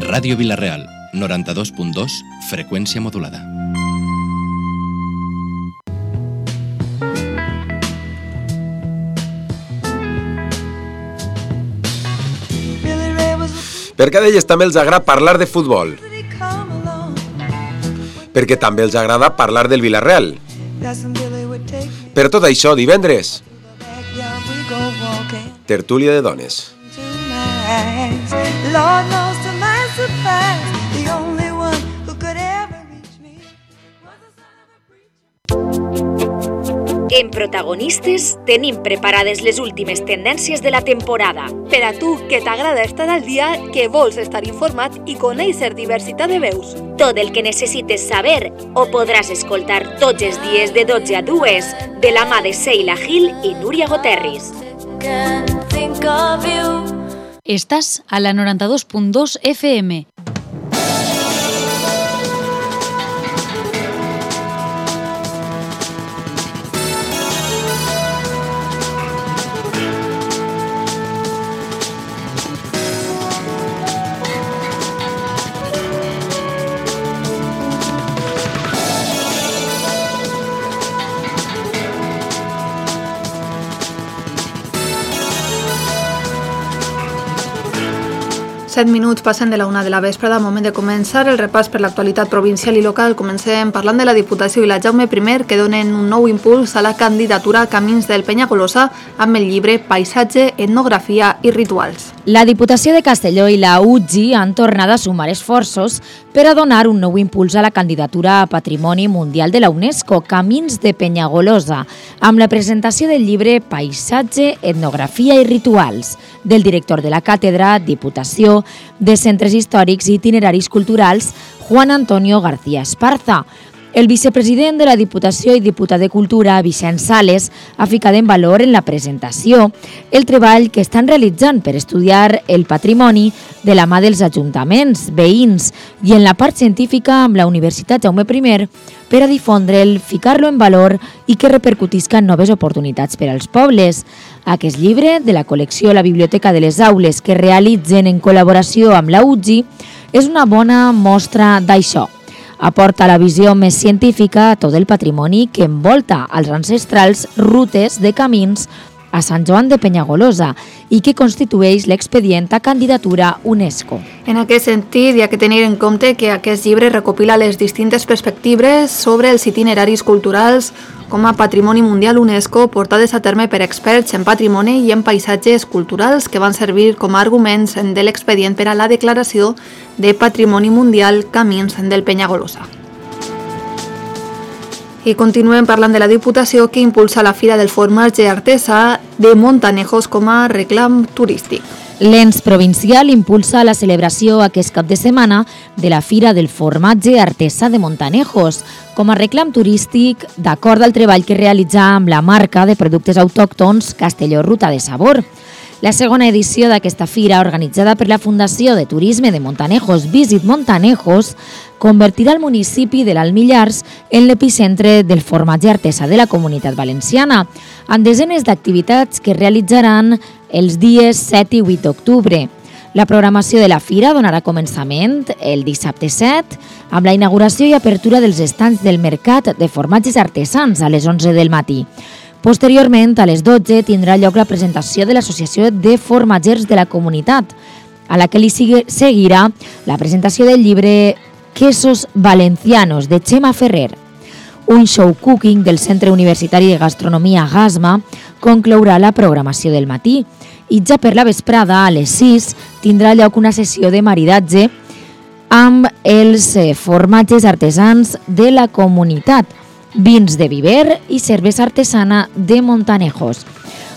Ràdio Vila-real, 92.2, freqüència modulada. Per què d'elles també els agrada parlar de futbol? Perquè també els agrada parlar del Vila-real. Per tot això, divendres, tertúlia de dones. En Protagonistes tenim preparades les últimes tendències de la temporada. Per a tu, que t'agrada estar al dia, que vols estar informat i conèixer diversitat de veus. Tot el que necessites saber ho podràs escoltar tots els dies de 12 a 2 de la mà de Sheila Gil i Núria Goterris. Estàs a la 92.2 FM. Set minuts passen de la 1 de la vesprada, moment de començar el repàs per l'actualitat provincial i local. Comencem parlant de la Diputació i la Jaume I, que donen un nou impuls a la candidatura Camins del Penyagolosa amb el llibre Paisatge, Etnografia i Rituals. La Diputació de Castelló i la UGI han tornat a sumar esforços per a donar un nou impuls a la candidatura a Patrimoni Mundial de la UNESCO, Camins de Penyagolosa, amb la presentació del llibre Paisatge, Etnografia i Rituals, del director de la càtedra, Diputació, de Centres Històrics i Itineraris Culturals, Juan Antonio García Esparza. El vicepresident de la Diputació i diputat de Cultura, Vicent Sales, ha ficat en valor en la presentació el treball que estan realitzant per estudiar el patrimoni de la mà dels ajuntaments, veïns i en la part científica amb la Universitat Jaume I per a difondre'l, ficar-lo en valor i que repercutisca en noves oportunitats per als pobles. Aquest llibre, de la col·lecció La Biblioteca de les Aules, que realitzen en col·laboració amb la UGI, és una bona mostra d'això. Aporta la visió més científica a tot el patrimoni que envolta els ancestrals rutes de camins a Sant Joan de Penyagolosa i que constitueix l'expedient a candidatura UNESCO. En aquest sentit, hi ha que tenir en compte que aquest llibre recopila les distintes perspectives sobre els itineraris culturals com a Patrimoni Mundial UNESCO portades a terme per experts en patrimoni i en paisatges culturals que van servir com a arguments de l'expedient per a la declaració de Patrimoni Mundial Camins del Penyagolosa. I continuem parlant de la Diputació, que impulsa la Fira del Formatge Artesà de Montanejos com a reclam turístic. L'ens provincial impulsa la celebració aquest cap de setmana de la Fira del Formatge Artesà de Montanejos com a reclam turístic d'acord al treball que realitza amb la marca de productes autòctons Castelló Ruta de Sabor. La segona edició d'aquesta fira, organitzada per la Fundació de Turisme de Montanejos Visit Montanejos, convertirà el municipi de l'Alt Millars en l'epicentre del formatge artesà de la Comunitat Valenciana, amb desenes d'activitats que realitzaran els dies 7 i 8 d'octubre. La programació de la fira donarà començament el dissabte 7 amb la inauguració i apertura dels estands del Mercat de Formatges Artesans a les 11 del matí. Posteriorment, a les 12, tindrà lloc la presentació de l'Associació de Formatgers de la Comunitat, a la que li seguirà la presentació del llibre Quesos Valencianos, de Xema Ferrer. Un show cooking del Centre Universitari de Gastronomia Gasma conclourà la programació del matí i ja per la vesprada, a les 6, tindrà lloc una sessió de maridatge amb els formatges artesans de la comunitat, vins de Viver i cervesa artesana de Montanejos.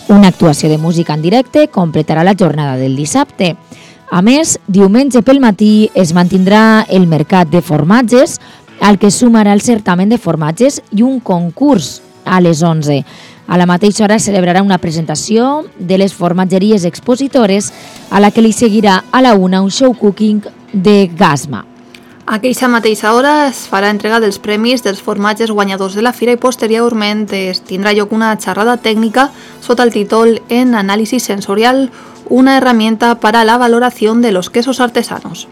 Una actuació de música en directe completarà la jornada del dissabte. A més, diumenge pel matí es mantindrà el mercat de formatges, al que sumarà el certamen de formatges i un concurs a les 11. A la mateixa hora es celebrarà una presentació de les formatgeries expositores, a la que li seguirà a la 1 un show cooking de Gasma. A aquella mateixa hora es farà entrega dels premis dels formatges guanyadors de la fira i posteriorment es tindrà lloc una xerrada tècnica sota el títol En análisis sensorial, una herramienta para la valoración de los quesos artesanos.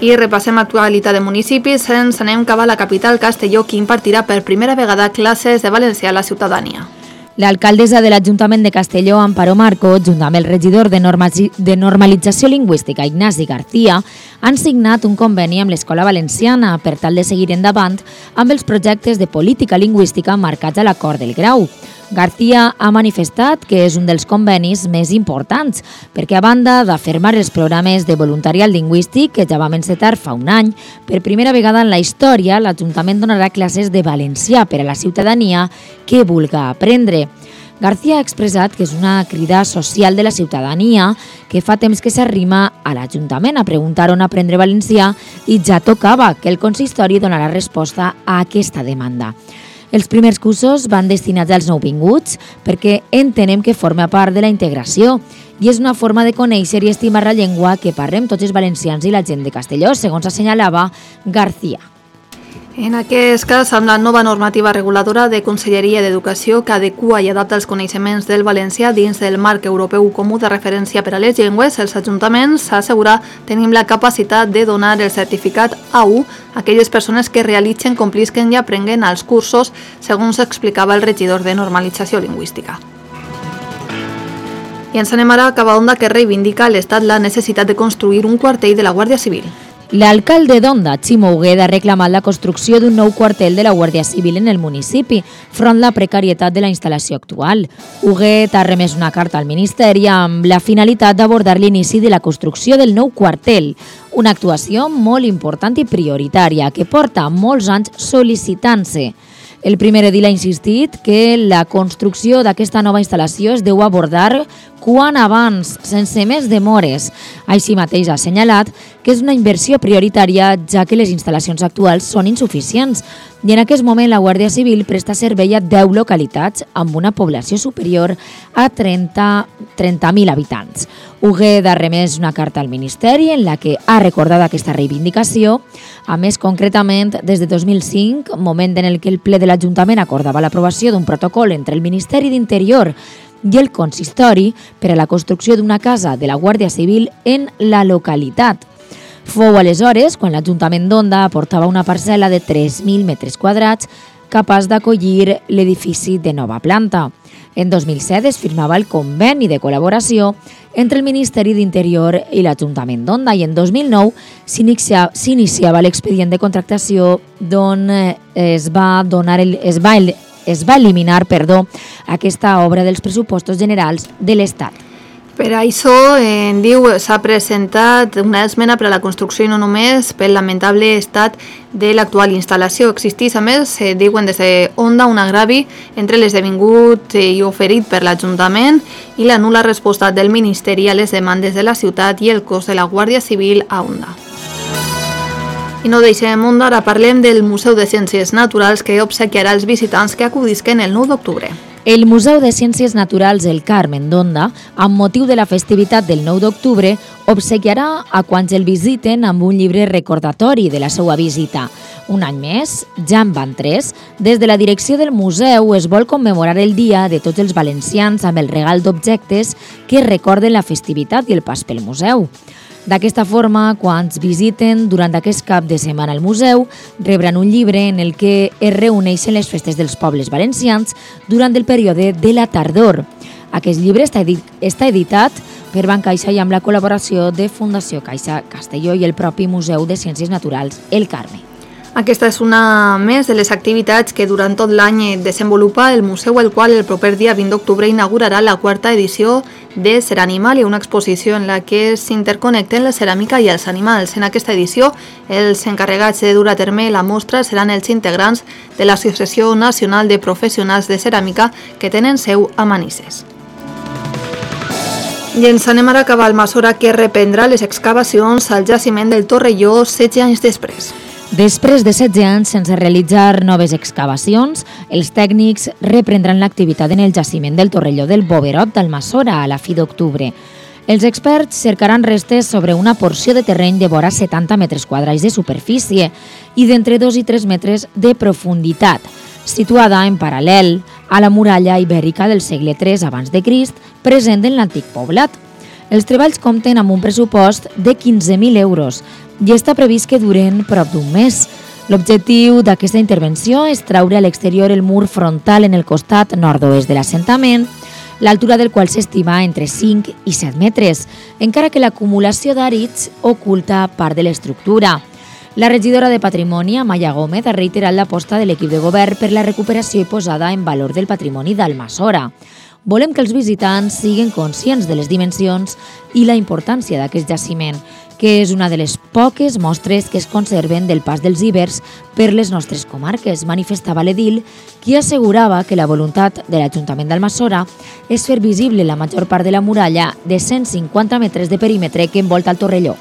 I repassem actualitat de municipis, ens anem cap a la capital Castelló, que impartirà per primera vegada classes de valencià a la ciutadania. L'alcaldessa de l'Ajuntament de Castelló, Amparo Marco, junt amb el regidor de Normalització Lingüística, Ignasi García, han signat un conveni amb l'Escola Valenciana per tal de seguir endavant amb els projectes de política lingüística marcats a l'acord del grau. García ha manifestat que és un dels convenis més importants perquè, a banda d'afirmar els programes de voluntariat lingüístic que ja vam encetar fa un any, per primera vegada en la història l'Ajuntament donarà classes de valencià per a la ciutadania que vulga aprendre. García ha expressat que és una crida social de la ciutadania que fa temps que s'arrima a l'Ajuntament a preguntar on aprendre valencià i ja tocava que el consistori donarà resposta a aquesta demanda. Els primers cursos van destinats als nouvinguts perquè entenem que forma part de la integració i és una forma de conèixer i estimar la llengua que parlem tots els valencians i la gent de Castelló, segons assenyalava García. En aquest cas, amb la nova normativa reguladora de Conselleria d'Educació que adequa i adapta els coneixements del valencià dins del marc europeu comú de referència per a les llengües, els ajuntaments s'assegura tenim la capacitat de donar el certificat A1 a aquelles persones que realitzen, complisquen i aprenguen els cursos, segons explicava el regidor de Normalització Lingüística. I ens anem ara cap a Onda, que reivindica a l'Estat la necessitat de construir un quartell de la Guàrdia Civil. L'alcalde d'Onda, Ximo Huguet, ha reclamat la construcció d'un nou quartel de la Guàrdia Civil en el municipi, front la precarietat de la instal·lació actual. Huguet ha remès una carta al Ministeri amb la finalitat d'abordar l'inici de la construcció del nou quartel, una actuació molt important i prioritària que porta molts anys sol·licitant-se. El primer edil ha insistit que la construcció d'aquesta nova instal·lació es deu abordar quan abans, sense més demores. Així mateix ha assenyalat que és una inversió prioritària, ja que les instal·lacions actuals són insuficients i en aquest moment la Guàrdia Civil presta servei a 10 localitats amb una població superior a 30.000 habitants. Huguet ha remès una carta al Ministeri en la que ha recordat aquesta reivindicació. A més, concretament, des de 2005, moment en el que el ple de l'Ajuntament acordava l'aprovació d'un protocol entre el Ministeri d'Interior i el consistori per a la construcció d'una casa de la Guàrdia Civil en la localitat. Fou aleshores quan l'Ajuntament d'Onda aportava una parcel·la de 3.000 metres quadrats capaç d'acollir l'edifici de nova planta. En 2007 es firmava el conveni de col·laboració entre el Ministeri d'Interior i l'Ajuntament d'Onda i en 2009 s'iniciava l'expedient de contractació d'on es va eliminar aquesta obra dels pressupostos generals de l'Estat. Per això, diu, s'ha presentat una esmena per a la construcció i no només pel lamentable estat de l'actual instal·lació. Existeix, a més, diuen des d'Onda, un agravi entre l'esdevingut i oferit per l'Ajuntament i la nul·la resposta del Ministeri a les demandes de la ciutat i el cos de la Guàrdia Civil a Onda. I no deixem Onda, ara parlem del Museu de Ciències Naturals que obsequiarà els visitants que acudisquen el 9 d'octubre. El Museu de Ciències Naturals El Carmen d'Onda, amb motiu de la festivitat del 9 d'octubre, obsequiarà a quants el visiten amb un llibre recordatori de la seva visita. Un any més, ja en van 3, des de la direcció del museu es vol commemorar el dia de tots els valencians amb el regal d'objectes que recorden la festivitat i el pas pel museu. D'aquesta forma, quan visiten durant aquest cap de setmana al museu, rebran un llibre en el que es reuneixen les festes dels pobles valencians durant el període de la tardor. Aquest llibre està editat per Bancaixa i amb la col·laboració de Fundació Caixa Castelló i el propi Museu de Ciències Naturals El Carme. Aquesta és una més de les activitats que durant tot l'any desenvolupa el museu, el qual el proper dia 20 d'octubre inaugurarà la 4a edició de Ser Animal i una exposició en la que s'interconnecten la ceràmica i els animals. En aquesta edició, els encarregats de dur a terme la mostra seran els integrants de l'Associació Nacional de Professionals de Ceràmica que tenen seu a Manises. I ens anem ara cap al Almassora, que reprendrà les excavacions al jaciment del Torrelló 16 anys després. Després de 16 anys sense realitzar noves excavacions, els tècnics reprendran l'activitat en el jaciment del Torrelló del Boverot d'Almassora a la fi d'octubre. Els experts cercaran restes sobre una porció de terreny de vora 70 metres quadrats de superfície i d'entre 2 i 3 metres de profunditat, situada en paral·lel a la muralla ibèrica del segle III abans de Crist, present en l'antic poblat. Els treballs compten amb un pressupost de 15.000 euros i està previst que duren prop d'un mes. L'objectiu d'aquesta intervenció és traure a l'exterior el mur frontal en el costat nord-oest de l'assentament, l'altura del qual s'estima entre 5 i 7 metres, encara que l'acumulació d'àrids oculta part de l'estructura. La regidora de Patrimoni, Amaya Gómez, ha reiterat l'aposta de l'equip de govern per la recuperació i posada en valor del patrimoni d'Almassora. Volem que els visitants siguin conscients de les dimensions i la importància d'aquest jaciment, que és una de les poques mostres que es conserven del pas dels ibers per les nostres comarques, manifestava l'edil, qui assegurava que la voluntat de l'Ajuntament d'Almassora és fer visible la major part de la muralla de 150 metres de perímetre que envolta el Torrelló.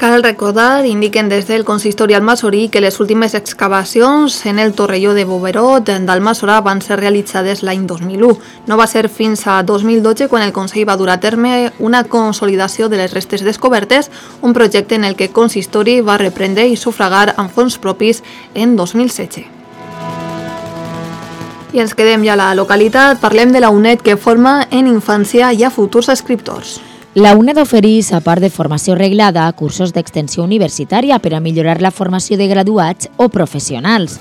Cal recordar, indiquen des del consistori almassorí, que les últimes excavacions en el Torrelló de Boverot d'Almassora van ser realitzades l'any 2001. No va ser fins a 2012 quan el Consell va dur a terme una consolidació de les restes descobertes, un projecte en el que el consistori va reprendre i sufragar amb fons propis en 2016. I ens quedem ja a la localitat, parlem de la UNED que forma en infància i a futurs escriptors. La UNED ofereix, a part de formació reglada, cursos d'extensió universitària per a millorar la formació de graduats o professionals.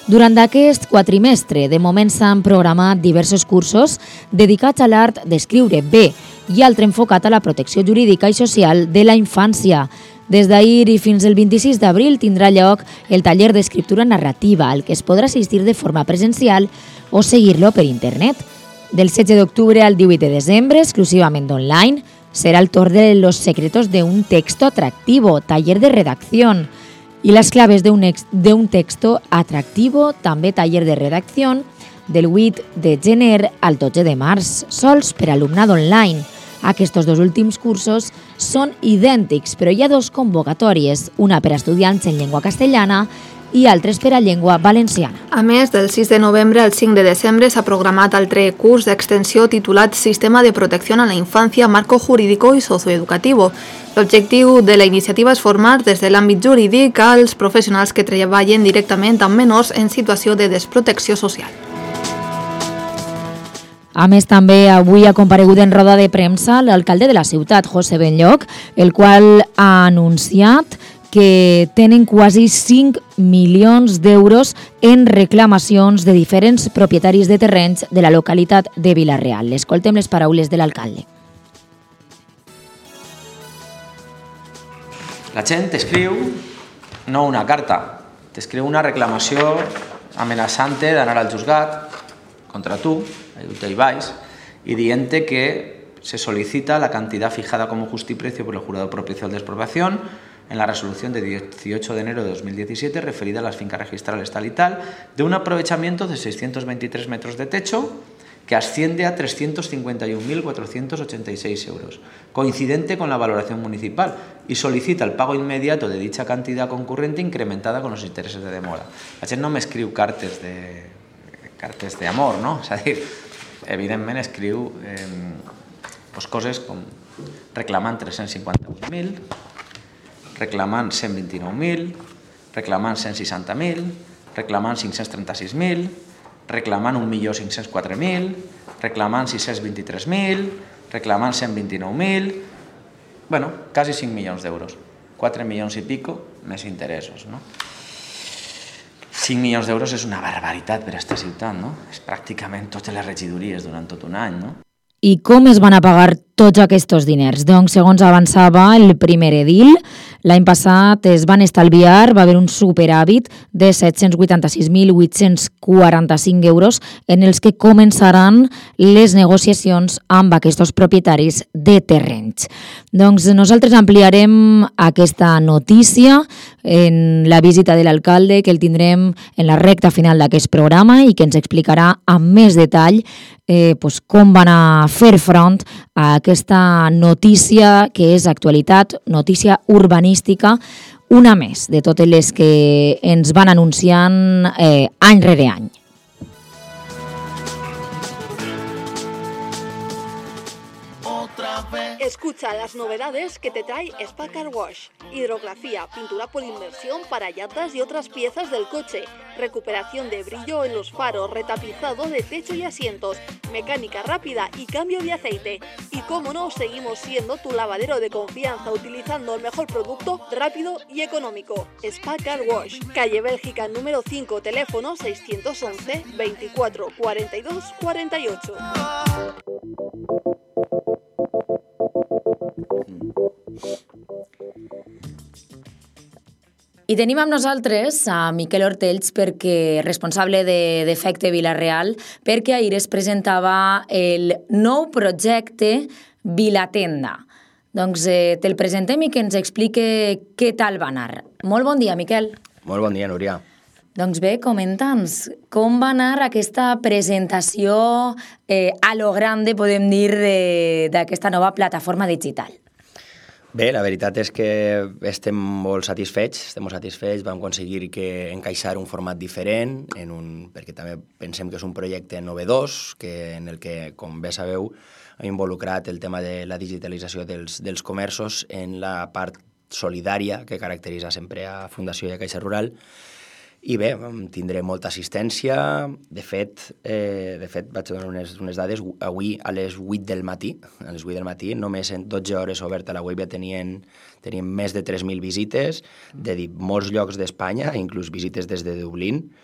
Durant aquest quatrimestre, de moment s'han programat diversos cursos dedicats a l'art d'escriure bé i altre enfocat a la protecció jurídica i social de la infància. Des d'ahir i fins al 26 d'abril tindrà lloc el taller d'escriptura narrativa, al que es podrà assistir de forma presencial o seguir-lo per internet. Del 16 d'octubre al 18 de desembre, exclusivament online, será el torn de los secretos de un texto atractivo, taller de redacción. Y las claves de un texto atractivo, també taller de redacció, del 8 de gener al 12 de març, sols per alumnat online. Aquests dos últims cursos són idèntics, però hi ha dos convocatòries, una per a estudiants en llengua castellana i altres per a llengua valenciana. A més, del 6 de novembre al 5 de desembre s'ha programat altre curs d'extensió titulat Sistema de Protecció a la Infància, Marco Jurídico i Socioeducativo. L'objectiu de la iniciativa és formar des de l'àmbit jurídic als professionals que treballen directament amb menors en situació de desprotecció social. A més, també avui ha comparegut en roda de premsa l'alcalde de la ciutat, José Benlloch, el qual ha anunciat que tenen quasi 5 milions d'euros en reclamacions de diferents propietaris de terrenys de la localitat de Vila-real. Escoltem les paraules de l'alcalde. La gent t'escriu no una carta, t'escriu una reclamació amenaçante d'anar al juzgat contra tu, ahí vais, y diente que se solicita la cantidad fijada como justiprecio por el jurado propicial de expropiación en la resolución de 18 de enero de 2017 referida a las fincas registrales tal y tal, de un aprovechamiento de 623 metros de techo que asciende a 351.486 euros, coincidente con la valoración municipal, y solicita el pago inmediato de dicha cantidad concurrente incrementada con los intereses de demora. La gent no m'escriu cartes de amor, no? És a dir, evidentment escriu coses com reclamant 358.000, reclamant 129.000, reclamant 160.000, reclamant 536.000, reclamant 1.504.000, reclamant 623.000, reclamant 129.000, bueno, quasi 5 milions d'euros, 4 milions i pico més interessos, no? 5 milions d'euros és una barbaritat per a aquesta ciutat, no? És pràcticament totes les regidories durant tot un any, no? I com es van a pagar tots aquests diners? Doncs, segons avançava el primer edil, l'any passat es van estalviar, va haver un superàvit de 786.845 euros en els que començaran les negociacions amb aquests propietaris de terrenys. Doncs nosaltres ampliarem aquesta notícia en la visita de l'alcalde, que el tindrem en la recta final d'aquest programa i que ens explicarà amb més detall com van a fer front a aquesta notícia que és actualitat, notícia urbanística, una més de totes les que ens van anunciant any rere any. Escucha las novedades que te trae Spa Car Wash. Hidrografía, pintura por inmersión para llantas y otras piezas del coche, recuperación de brillo en los faros, retapizado de techo y asientos, mecánica rápida y cambio de aceite. Y cómo no, seguimos siendo tu lavadero de confianza utilizando el mejor producto rápido y económico. Spa Car Wash, calle Bélgica número 5, teléfono 611 24 42 48. I tenim amb nosaltres a Miquel Ortells, perquè responsable d'Efecte Vila-real, perquè ahir es presentava el nou projecte Vilatenda. Doncs te'l presentem i que ens explique què tal va anar. Molt bon dia, Miquel. Molt bon dia, Núria. Doncs bé, comenta'ns com va anar aquesta presentació a lo grande, podem dir, d'aquesta nova plataforma digital. Bé, la veritat és que estem molt satisfets, vam aconseguir encaixar un format diferent, perquè també pensem que és un projecte novedós, en el que, com bé sabeu, ha involucrat el tema de la digitalització dels comerços en la part solidària que caracteritza sempre a Fundació i a Caixa Rural. I bé, tindré molta assistència. De fet, vaig donar unes dades. Avui a les 8 del matí, només en 12 hores oberta la web ja teníem més de 3.000 visites de molts llocs d'Espanya, inclús visites des de Dublín.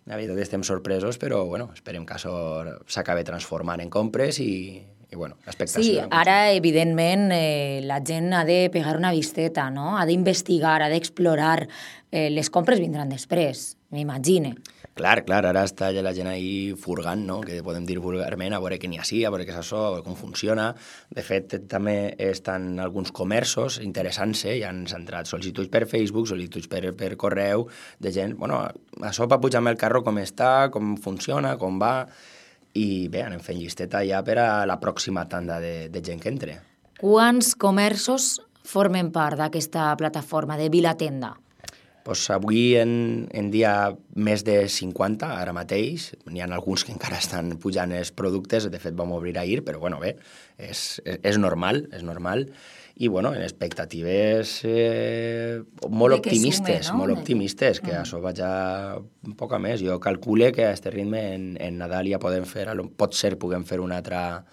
La veritat estem sorpresos, però esperem que això s'acabi transformant en compres i l'expectació. Sí, ara, evidentment, la gent ha de pegar una visteta, no? Ha d'investigar, ha d'explorar. Les compres vindran després, m'imagine. Clar, ara està la gent ahí furgant, no? Que podem dir vulgarment, a veure què n'hi ha a veure què és això, a veure com funciona. De fet, també estan alguns comerços interessant-se, ja han entrat sol·licituds per Facebook, sol·licituds per correu, de gent, això va pujar amb el carro com està, com funciona, com va, i bé, anem fent llisteta ja per a la pròxima tanda de gent que entre. Quants comerços formen part d'aquesta plataforma de Vilatenda? Avui en dia més de 50, ara mateix. N'hi ha alguns que encara estan pujant els productes, de fet vam obrir ahir, però bé, és normal. I en expectatives molt optimistes, que això vaja un poc a més. Jo calcule que a aquest ritme en Nadal ja potser puguem fer una altra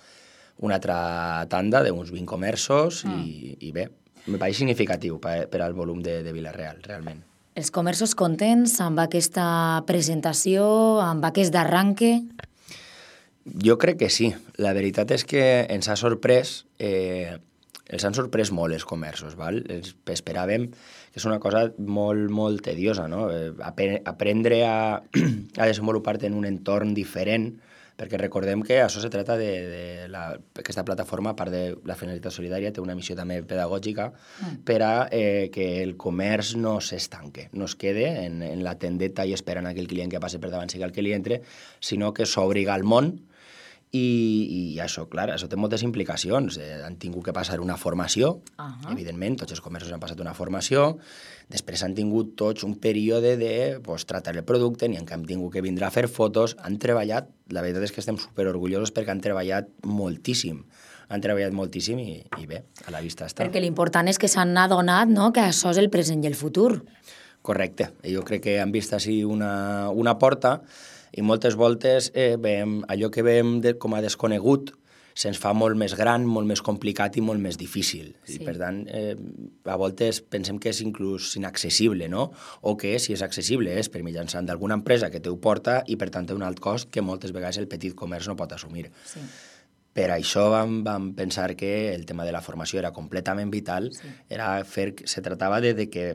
tanda d'uns 20 comerços i bé, me pareix significatiu per al volum de Vila-real, realment. Els comerços contents amb aquesta presentació, amb aquest arranque? Jo crec que sí. La veritat és que ens ha sorprès, els han sorprès molt els comerços. Esperàvem que és una cosa molt, molt tediosa, no? Aprendre a desenvolupar-te en un entorn diferent, perquè recordem que això se trata aquesta plataforma, a part de la finalitat solidària, té una missió també pedagògica per a que el comerç no s'estanque, no es quede en la tendeta i esperant que el client que passi per davant sigui el que li entre, sinó que s'obriga al món. I això, clar, això té moltes implicacions. Han tingut que passar una formació, evidentment, tots els comerços han passat una formació, després han tingut tots un període de tractar el producte, n'hi han tingut que vindre a fer fotos, han treballat, la veritat és que estem superorgullosos perquè han treballat moltíssim. I bé, a la vista està. Perquè l'important és que s'han adonat, no?, que això és el present i el futur. Correcte. Jo crec que han vist així una porta i moltes voltes allò que veiem com a desconegut se'ns fa molt més gran, molt més complicat i molt més difícil. Sí. I per tant, a voltes pensem que és inclús inaccessible, no? O que si és accessible és per mitjançant d'alguna empresa que te ho porta i per tant té un alt cost que moltes vegades el petit comerç no pot assumir. Sí. Per això vam pensar que el tema de la formació era completament vital, se tractava de que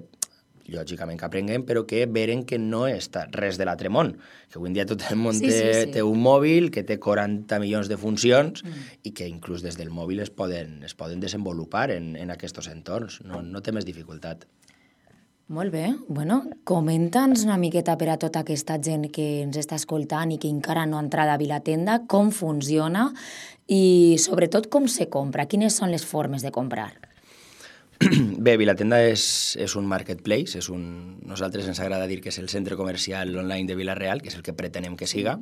lògicament que aprenguem, però que veren que no està res de l'altre món, que avui en dia tot el món té un mòbil, que té 40 milions de funcions i que inclús des del mòbil es poden desenvolupar en aquests entorns, no té més dificultat. Molt bé, comenta'ns una miqueta per a tota aquesta gent que ens està escoltant i que encara no ha entrat a Vilatenda, com funciona i sobretot com se compra, quines són les formes de comprar. Bé, Vilatenda és un marketplace, nosaltres ens agrada dir que és el centre comercial online de Vila-real, que és el que pretenem que siga,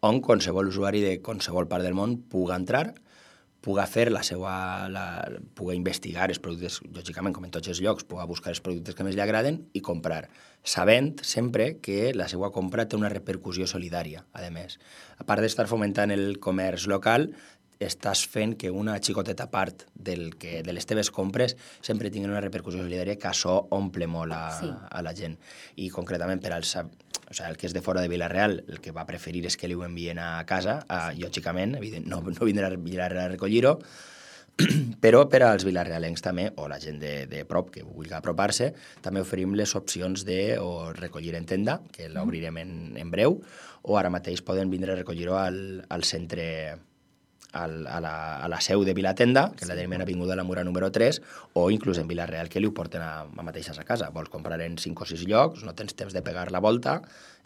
on qualsevol usuari de qualsevol part del món pugui entrar, puga fer puga investigar els productes, lògicament, com en tots els llocs, puga buscar els productes que més li agraden i comprar, sabent sempre que la seva compra té una repercussió solidària, a més. A part d'estar fomentant el comerç local, estàs fent que una xicoteta part de les teves compres sempre tinguin una repercussió solidària, que això omple molt a la gent. I concretament per als... O sigui, el que és de fora de Vila-real, el que va preferir és que li ho envien a casa, lògicament, no vindrà a Vila-real a recollir-ho, però per als vilarealencs també, o la gent de prop que vulgui apropar-se, també oferim les opcions de o recollir en tenda, que l'obrirem en breu, o ara mateix poden vindre a recollir-ho al centre, a la seu de Vilatenda, que la tenim en Avinguda la Mura número 3, o inclús en Vila-real, que li ho porten a mateixes a casa. Vols comprar en 5 o 6 llocs, no tens temps de pegar la volta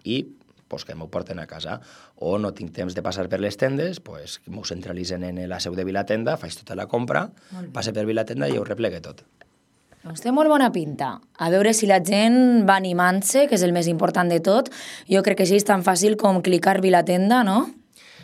i que m'ho porten a casa. O no tinc temps de passar per les tendes, que m'ho centralitzen en la seu de Vilatenda, faig tota la compra, passe per Vilatenda i ho replegue tot. Doncs té molt bona pinta. A veure si la gent va animant-se, que és el més important de tot. Jo crec que sí, és tan fàcil com clicar Vilatenda, no?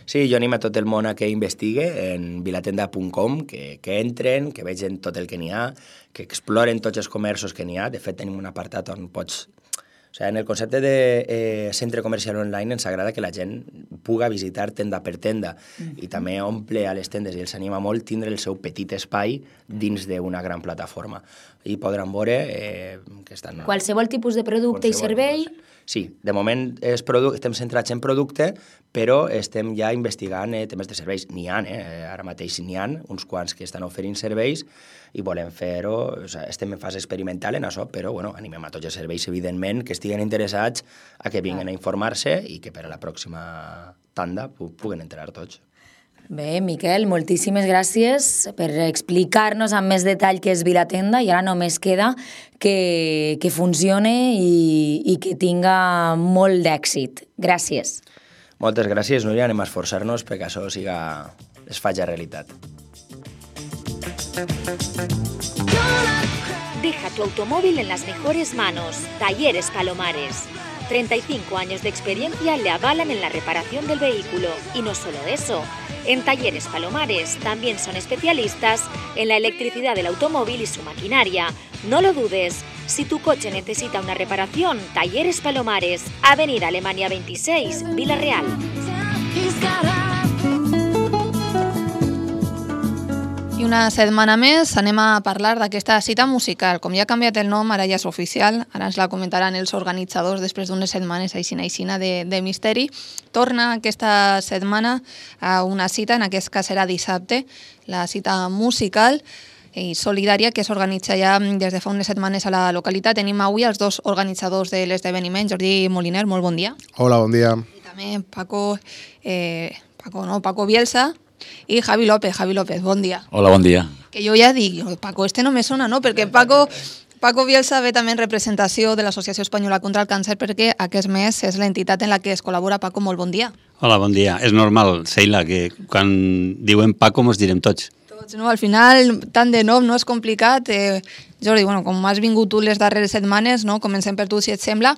Sí, jo animo a tot el món a que investigue en vilatenda.com, que entren, que vegin tot el que n'hi ha, que exploren tots els comerços que n'hi ha. De fet, tenim un apartat on pots... O sigui, en el concepte de centre comercial online ens agrada que la gent puga visitar tenda per tenda i també omple a les tendes i els anima molt tindre el seu petit espai dins d'una gran plataforma. I podran veure que estan... Qualsevol tipus de producte i servei... Sí, de moment estem centrats en producte, però estem ja investigant temes de serveis. N'hi ha, ara mateix n'hi ha uns quants que estan oferint serveis i volem fer-ho, estem en fase experimental en això, però animem a tots els serveis, evidentment, que estiguen interessats a que vinguin a informar-se i que per a la pròxima tanda puguen entrar tots. Bé, Miquel, moltíssimes gràcies per explicar-nos amb més detall què és Vilatenda i ara només queda que funcione i que tinga molt d'èxit. Gràcies. Moltes gràcies, Núria. Anem a esforçar-nos perquè això es faci realitat. Deja tu automóvil en las mejores manos. Talleres Palomares. 35 años de experiencia le avalan en la reparación del vehículo. Y no solo eso, en Talleres Palomares también son especialistas en la electricidad del automóvil y su maquinaria. No lo dudes, si tu coche necesita una reparación, Talleres Palomares, Avenida Alemania 26, Vila-real. I una setmana més anem a parlar d'aquesta cita musical. Com ja ha canviat el nom, ara ja és oficial, ara ens la comentaran els organitzadors després d'unes setmanes aixina de misteri. Torna aquesta setmana a una cita, en aquest cas serà dissabte, la cita musical i solidària que s'organitza ja des de fa unes setmanes a la localitat. Tenim avui els dos organitzadors de l'esdeveniment, Jordi Moliner, molt bon dia. Hola, bon dia. I també Paco Bielsa, i Javi López, bon dia. Hola, bon dia. Que jo ja dic, Paco, no me sona, no? Perquè Paco Bielsa ve també en representació de l'Associació Espanyola contra el Càncer perquè aquest mes és l'entitat en la que es col·labora. Paco, molt bon dia. Hola, bon dia. És normal, Sheila, que quan diuen Paco mos direm tots. Tots, no? Al final, tant de nom no és complicat. Jordi, com has vingut tu les darreres setmanes, no? Comencem per tu, si et sembla.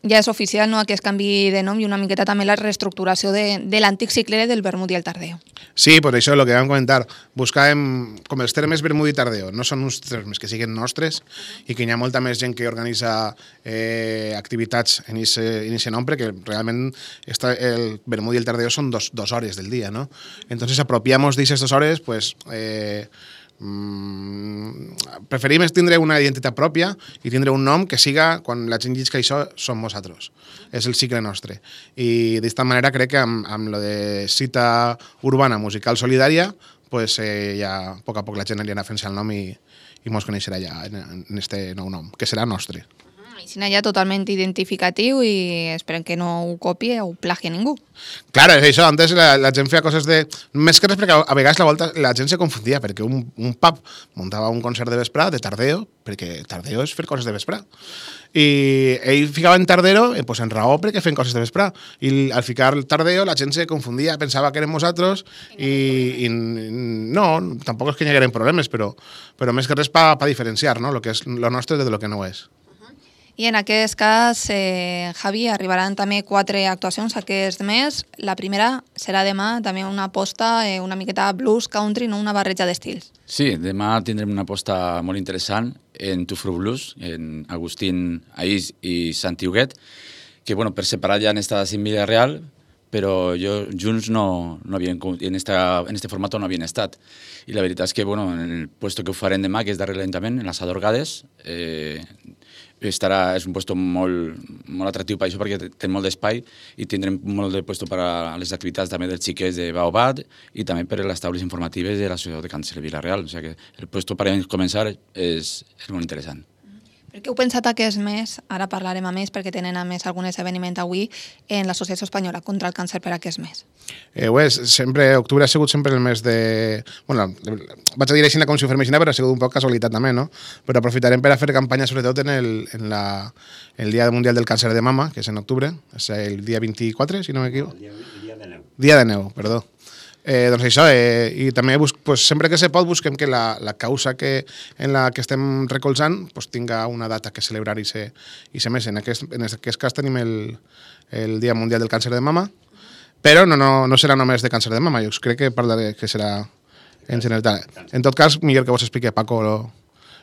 Ja és oficial, no?, aquest canvi de nom i una miqueta també la reestructuració de l'antic cicle del vermut i el tardeo. Sí, per això el que vam comentar, buscàvem, com els termes vermut i tardeo, no són uns termes que siguin nostres i que hi ha molta més gent que organitza activitats en aquest nom, perquè realment el vermut i el tardeo són dos hores del dia, no? Entonces apropiamos d'aquestes 2 hores, pues... preferim tindre una identitat pròpia i tindre un nom que siga, quan la gent llisca això, som nosaltres, és el cicle nostre. I d'esta manera crec que amb lo de cita urbana musical solidària, pues ja a poc la gent anirà fent-se el nom i mos coneixerà ja en este nou nom, que serà nostre. I ja totalment identificatiu i esperem que no ho copie o ho plagi ningú. Claro, és això, antes la gent feia coses de... Més que res perquè a vegades la gent se confundia, perquè un pub muntava un concert de vesprà, de tardeo, perquè tardeo és fer coses de vesprà. I ell ficava en tardero, pues en raó perquè feien coses de vesprà. I al ficar tardeo la gent se confundia, pensava que érem nosaltres i no, tampoc és que hi hagueren problemes, però més que res per diferenciar, no?, lo que és lo nostre de lo que no és. I en aquest cas, Javi, arribaran també 4 actuacions aquest mes. La primera serà demà, també una aposta una miqueta blues, country, no? Una barreja d'estils. Sí, demà tindrem una aposta molt interessant en Tufro Blues, en Agustín Aís i Santi Huguet, que per separat ja han estat en Vila-real, però junts no havien, en este format no havien estat. I la veritat és que en el puesto que ho farem demà, que és darrere l'Ajuntament, en l'Assador Gades, és un puesto molt atractiu per això, perquè té molt d'espai i tindrem molt de puesto per a les activitats també dels xiquets de Baobat i també per a les taules informatives de l'Associació de Càncer de Vila-real. O sigui que el puesto per a començar és molt interessant. Per què heu pensat aquest mes, ara parlarem a més perquè tenen a més algun esdeveniment avui en l'Associació Espanyola contra el Càncer per aquest mes? Octubre ha sigut sempre el mes de... vaig a dir així com si ho fem així, però ha sigut un poc casualitat també, no? Però aprofitarem per a fer campanya sobretot en el Dia Mundial del Càncer de Mama, que és en octubre, és el dia 24, si no m'equivoco. El dia de neu. Dia de neu, perdó. Doncs això, i també sempre que se pot busquem que la causa en la que estem recolzant tinga una data que celebrar i ser més. En aquest cas tenim el Dia Mundial del Càncer de Mama, però no serà només de càncer de mama, jo crec que parlaré que serà en general. En tot cas, millor que vos expliqui Paco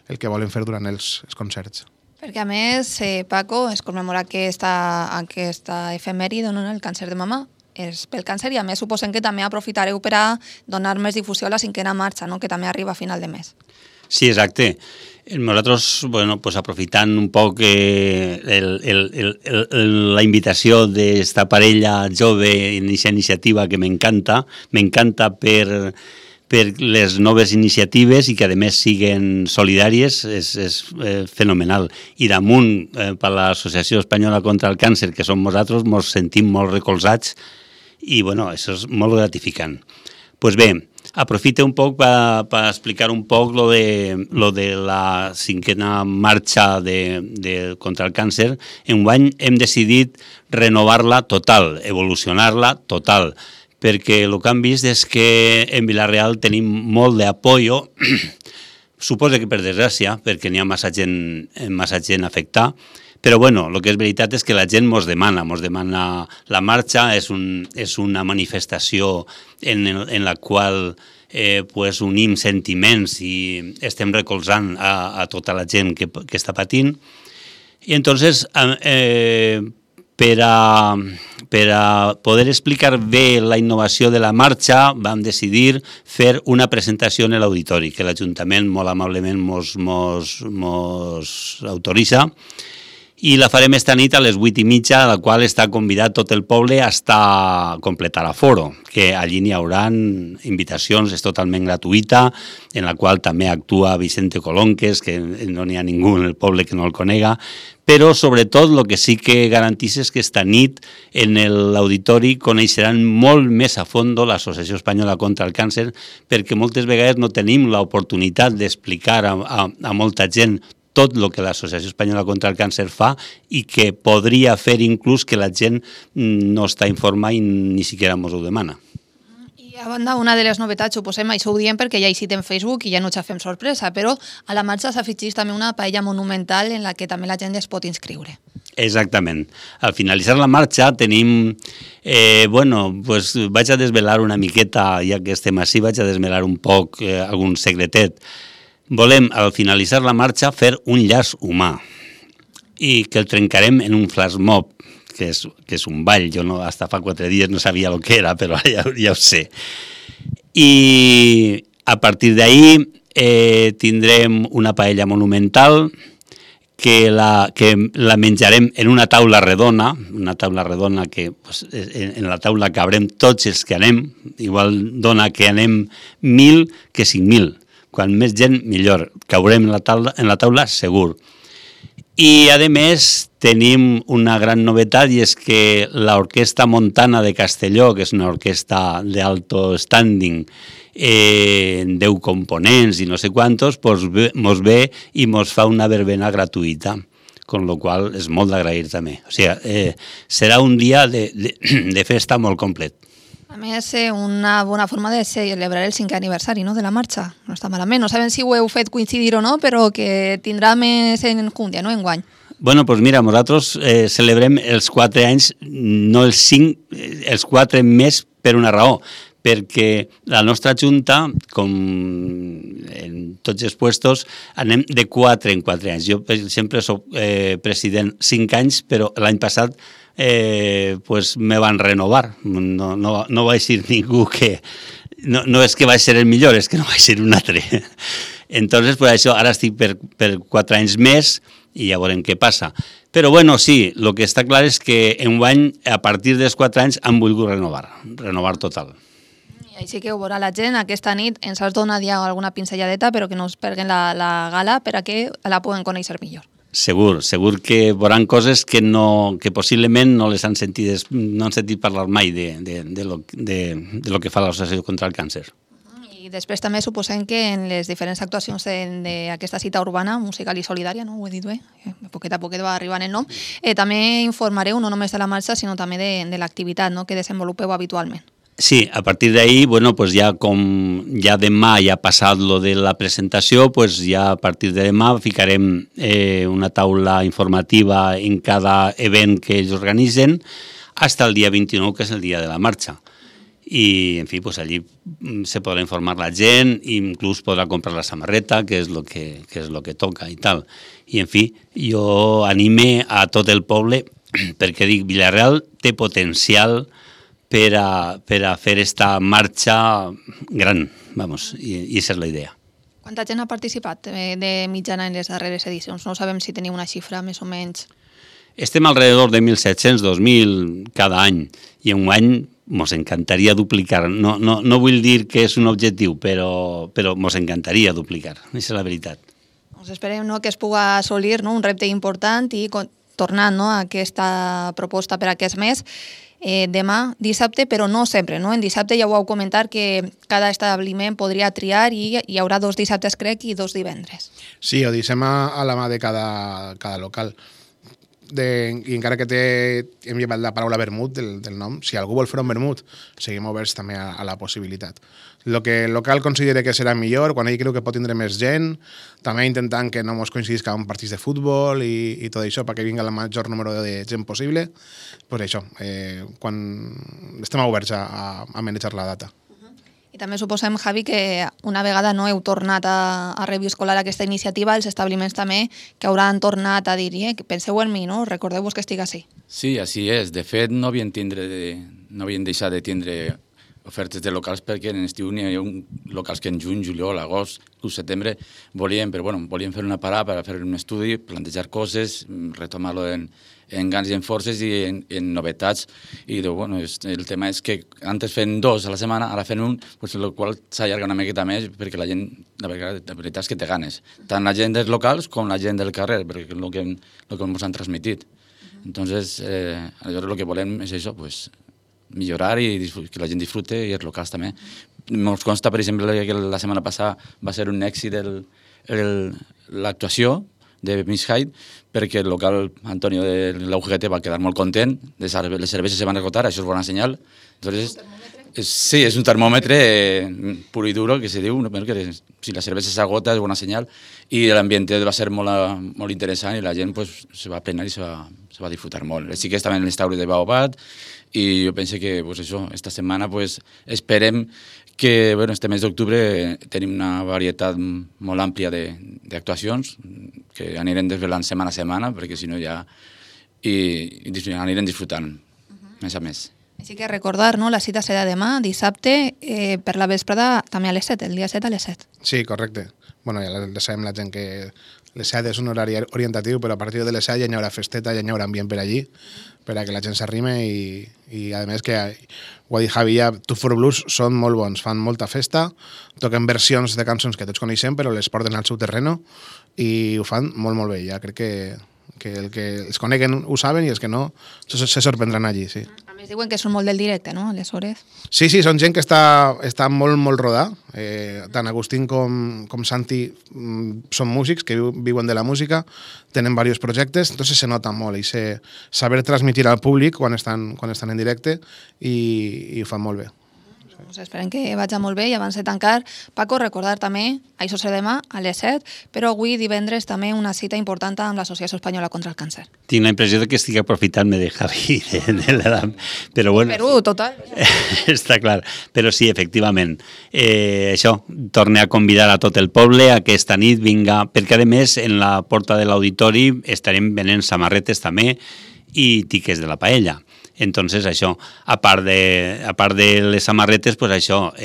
el que volen fer durant els concerts. Perquè a més, Paco, es commemora aquesta efemèride, el càncer de mama, és pel càncer i a més suposem que també aprofitareu per a donar més difusió a la 5a marxa, no? Que també arriba a final de mes. Sí, exacte. Nosaltres, aprofitant un poc la invitació d'esta parella jove en aquesta iniciativa que m'encanta per les noves iniciatives i que a més siguen solidàries, és fenomenal. I damunt, per l'Associació Espanyola contra el Càncer, que som nosaltres, ens sentim molt recolzats i això és molt gratificant. Doncs bé, aprofite un poc per explicar un poc lo de la 5a marxa contra el càncer. Enguany hem decidit renovar-la total, evolucionar-la total, perquè el que hem vist és que en Vila-real tenim molt d'apoyo, suposo que per desgràcia, perquè n'hi ha massa gent afectada, però el que és veritat és que la gent ens demana la marxa, és una manifestació en la qual unim sentiments i estem recolzant a tota la gent que està patint. I entonces, per a poder explicar bé la innovació de la marxa, vam decidir fer una presentació en l'auditori, que l'Ajuntament molt amablement mos autoritza, i la farem esta nit a les 8:30, a la qual està convidat tot el poble a completar l'aforo, que allí n'hi haurà invitacions, és totalment gratuïta, en la qual també actua Vicente Colonques, que no n'hi ha ningú en el poble que no el conega, però sobretot el que sí que garantís és que esta nit en l'auditori coneixeran molt més a fons l'Associació Espanyola contra el Càncer, perquè moltes vegades no tenim l'oportunitat d'explicar a molta gent tot el que l'Associació Espanyola contra el Càncer fa i que podria fer inclús que la gent no està informada i ni siquiera ens ho demana. I a banda, una de les novetats, suposem, això ho diem perquè ja hi citem Facebook i ja no ens fem sorpresa, però a la marxa s'afegeix també una paella monumental en la que també la gent es pot inscriure. Exactament. Al finalitzar la marxa tenim, vaig a desvelar una miqueta, ja que estem així, vaig a desvelar un poc algun secretet. Volem, al finalitzar la marxa, fer un llaç humà i que el trencarem en un flash mob, que és un ball. Jo fins fa 4 dies no sabia el que era, però ja ho sé. I a partir d'ahí tindrem una paella monumental que la menjarem en una taula redona que en la taula cabrem tots els que anem, igual dona que anem 1.000 que 5.000. Quan més gent, millor. Caurem en la taula segur. I, a més, tenim una gran novetat i és que l'Orquestra Montana de Castelló, que és una orquestra d'alto standing, 10 components i no sé quantos, mos ve i mos fa una verbena gratuïta, con lo qual és molt d'agrair també. O sigui, serà un dia de festa molt complet. A més, una bona forma de celebrar el 5è aniversari de la marxa. No està malament. No sabem si ho heu fet coincidir o no, però que tindrà més enjundia, no, enguany. Bueno, doncs mira, nosaltres celebrem els 4 anys, no els 5, els 4 més per una raó, perquè la nostra Junta, com en tots els puestos, anem de 4 en 4 anys. Jo sempre soc president 5 anys, però l'any passat pues me van renovar. No vaig dir ningú que... No és que vaig ser el millor, és que no vaig ser un altre. Entonces, pues això, ara estic per 4 anys més i ja veurem què passa. Però bueno, sí, el que està clar és que enguany, a partir dels 4 anys, han volgut renovar total. I així que ho veurà la gent. Aquesta nit ens has donat ja alguna pinzelladeta, però que no es perdin la gala per a que la puguen conèixer millor. Segur que veuran coses que possiblement no les han sentit parlar mai de lo que fa l'Associació contra el Càncer. I després també suposem que en les diferents actuacions d'aquesta cita urbana, musical i solidària, no? Ho he dit bé, a poquet va arribant el nom, també informareu no només de la marxa, sinó també de l'activitat, no?, que desenvolupeu habitualment. Sí, a partir d'ahí, bueno, pues ja com ja demà ja ha passat lo de la presentació, pues ja a partir de demà ficarem una taula informativa en cada event que ells organitzen hasta el dia 29, que és el dia de la marxa. I, en fi, pues allí se podrà informar la gent, inclús podrà comprar la samarreta, que és lo que toca i tal. I, en fi, jo anime a tot el poble, perquè dic, Vila-real té potencial per a fer esta marxa gran, vamos, i aquesta és la idea. Quanta gent ha participat de mitjana en les darreres edicions? No sabem si teniu una xifra més o menys. Estem alrededor de 1.700, 2.000 cada any, i enguany mos encantaria duplicar. No vull dir que és un objectiu, però mos encantaria duplicar, aquesta és la veritat. Doncs esperem que es pugui assolir un repte important i tornant a aquesta proposta per aquest mes, demà, dissabte, però no sempre. En dissabte ja ho heu comentat que cada establiment podria triar i hi haurà 2 dissabtes, crec, i 2 divendres. Sí, ho deixem a la mà de cada local. I encara que hem llevat la paraula vermut del nom, si algú vol fer un vermut, seguim oberts també a la possibilitat. El que el local considera que serà millor, quan ell creu que pot tindre més gent, també intentant que no ens coincidisca amb partits de futbol i tot això, perquè vinga el major número de gent possible, doncs això, quan estem oberts a manejar la data. I també suposem, Javi, que una vegada no heu tornat a reviscolar aquesta iniciativa, els establiments també que hauran tornat a dir penseu en mi, no? Recordeu-vos que estic així. Sí, així és. De fet, no havien deixat de tindre ofertes de locals perquè en estiu n'hi ha locals que en juny, juliol, agost, setembre volien fer una parada per fer un estudi, plantejar coses, retomar-lo en gans i en forces i en novetats. I el tema és que antes fent 2 a la setmana, ara fent 1, el qual s'allarga una miqueta més perquè la gent, la veritat és que té ganes. Tant la gent dels locals com la gent del carrer, perquè és el que ens han transmitit. Entonces, aleshores el que volem és això, millorar i que la gent disfrute i els locals també. Ens consta, per exemple, que la setmana passada va ser un èxit l'actuació de Miss Hyde perquè el local Antonio de la UGT va quedar molt content, les cerveses se van esgotar, això és bona senyal. Entonces, sí, és un termòmetre puro i duro que se diu, que si la cervesa s'agota és bona senyal i l'ambient va ser molt interessant i la gent se va plenar i se va disfrutar molt. Sí que estaven en l'estauri de Baobat i jo penso que esta setmana esperem que este mes d'octubre tenim una varietat molt àmplia d'actuacions que anirem desvelant setmana a setmana perquè si no ja anirem disfrutant més a més. Així que recordar, la cita serà demà, dissabte, per la vesprada també a les 7, el dia 7 a les 7. Sí, correcte. Ja sabem la gent que les 7 és un horari orientatiu, però a partir de les 7 ja hi haurà festeta, ja hi haurà ambient per allí, per a que la gent s'arrime i a més que ho ha dit Javi ja, Two for Blues són molt bons, fan molta festa, toquen versions de cançons que tots coneixem però les porten al seu terreno i ho fan molt molt bé, ja crec que el que els coneguen ho saben i els que no se sorprendran allí, sí. A més diuen que són molt del directe, no?, aleshores. Sí, són gent que està molt, molt rodà. Tant Agustín com Santi són músics que viuen de la música, tenen diversos projectes, entonces se nota molt i saber transmitir al públic quan estan en directe i ho fan molt bé. Doncs esperem que vagi molt bé i abans de tancar, Paco, recordar també, això serà demà a les 7, però avui divendres també una cita important amb l'Associació Espanyola contra el Càncer. Tinc la impressió que estic aprofitant-me de Javi, de l'edat, però bueno... Perú, total. Està clar, però sí, efectivament. Això, torne a convidar a tot el poble aquesta nit, vinga, perquè a més en la porta de l'auditori estarem venent samarretes també i tiques de la paella. Entonces, això, a part de les samarretes, pues això,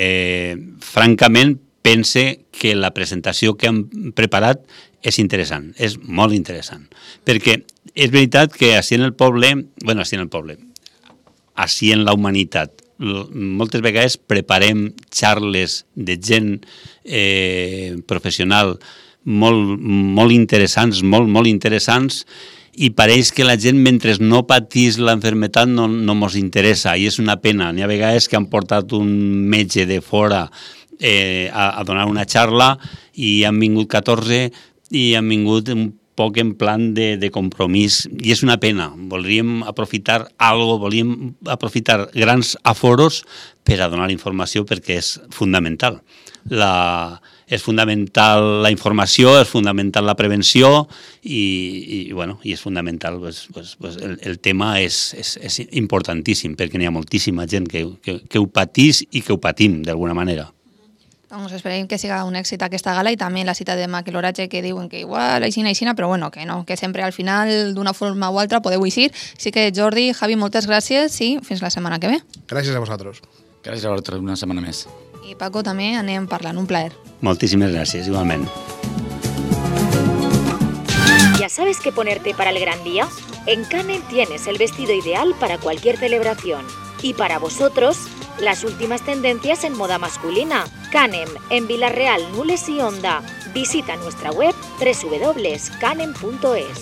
francament, pense que la presentació que han preparat és interessant, és molt interessant. Perquè és veritat que així en la humanitat, moltes vegades preparem xarles de gent professional molt interessants, molt interessants, i pareix que la gent, mentre no patís l'enfermetat, no mos interessa, i és una pena. N'hi ha vegades que han portat un metge de fora a donar una xarra i han vingut 14 i han vingut un poc en plan de compromís, i és una pena. Volíem aprofitar volíem aprofitar grans aforos per a donar informació, perquè és fundamental. És fundamental la informació, és fundamental la prevenció i és fundamental, el tema és importantíssim, perquè n'hi ha moltíssima gent que ho patís i que ho patim d'alguna manera. Doncs esperem que siga un èxit aquesta gala i també la cita de l'oratge que diuen que igual aixina, però bueno, que no, que sempre al final d'una forma o altra podeu eixir. Així que Jordi, Javi, moltes gràcies i fins la setmana que ve. Gràcies a vosaltres. Gràcies a vosaltres, una setmana més. I Paco, també anem parlant, un plaer. Moltíssimes gràcies, igualment. ¿Ya sabes qué ponerte para el gran día? En Canem tienes el vestido ideal para cualquier celebración. Y para vosotros, las últimas tendencias en moda masculina. Canem, en Villarreal, Nules y Onda. Visita nuestra web www.canem.es.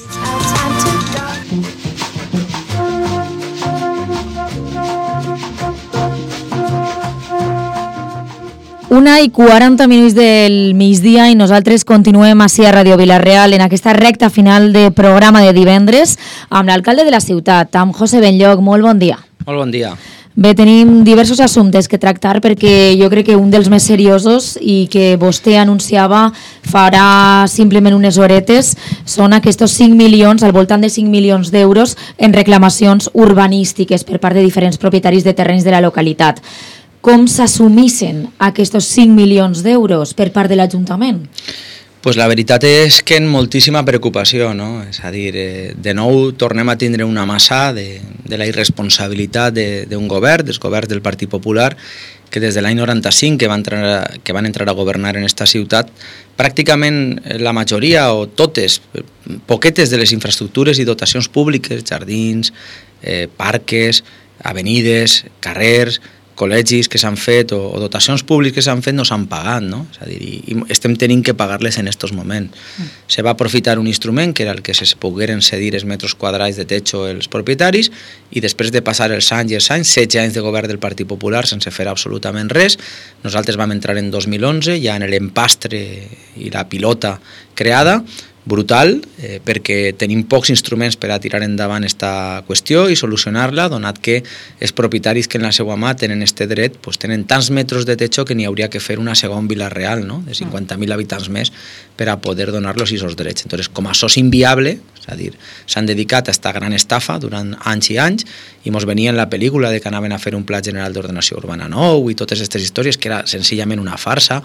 1:40 del migdia i nosaltres continuem així a Ràdio Vila-real en aquesta recta final de programa de divendres amb l'alcalde de la ciutat, amb José Benlloch. Molt bon dia. Molt bon dia. Bé, tenim diversos assumptes que tractar perquè jo crec que un dels més seriosos i que vostè anunciava farà simplement unes horetes són aquests 5 milions, al voltant de 5 milions d'euros en reclamacions urbanístiques per part de diferents propietaris de terrenys de la localitat. Com s'assumissen aquests 5 milions d'euros per part de l'Ajuntament? Pues la veritat és que en moltíssima preocupació, no? És a dir, de nou tornem a tindre una massa de la irresponsabilitat d'un govern, dels governs del Partit Popular, que des de l'any 95 que van entrar a governar en esta ciutat, pràcticament la majoria o totes, poquetes de les infraestructures i dotacions públiques, jardins, parques, avenides, carrers, col·legis que s'han fet o dotacions públiques que s'han fet no s'han pagat, no? És a dir, i estem tenint que pagar-les en aquests moments. Se va aprofitar un instrument que era el que se pogueren cedir els metres quadrats de techo als propietaris i després de passar els anys, 16 anys de govern del Partit Popular sense fer absolutament res, nosaltres vam entrar en 2011 ja en l'empastre i la pilota creada, brutal, perquè tenim pocs instruments per a tirar endavant aquesta qüestió i solucionar-la, donat que els propietaris que en la seva mà tenen este dret pues, tenen tants metres de techo que n'hi hauria que fer una segona Vila-real, no? De 50.000 habitants més per a poder donar-los aquests drets. Entonces, com això és inviable, és a dir, s'han dedicat a aquesta gran estafa durant anys i anys i mos venia en la pel·lícula de que anaven a fer un pla general d'ordenació urbana nou i totes aquestes històries que era senzillament una farsa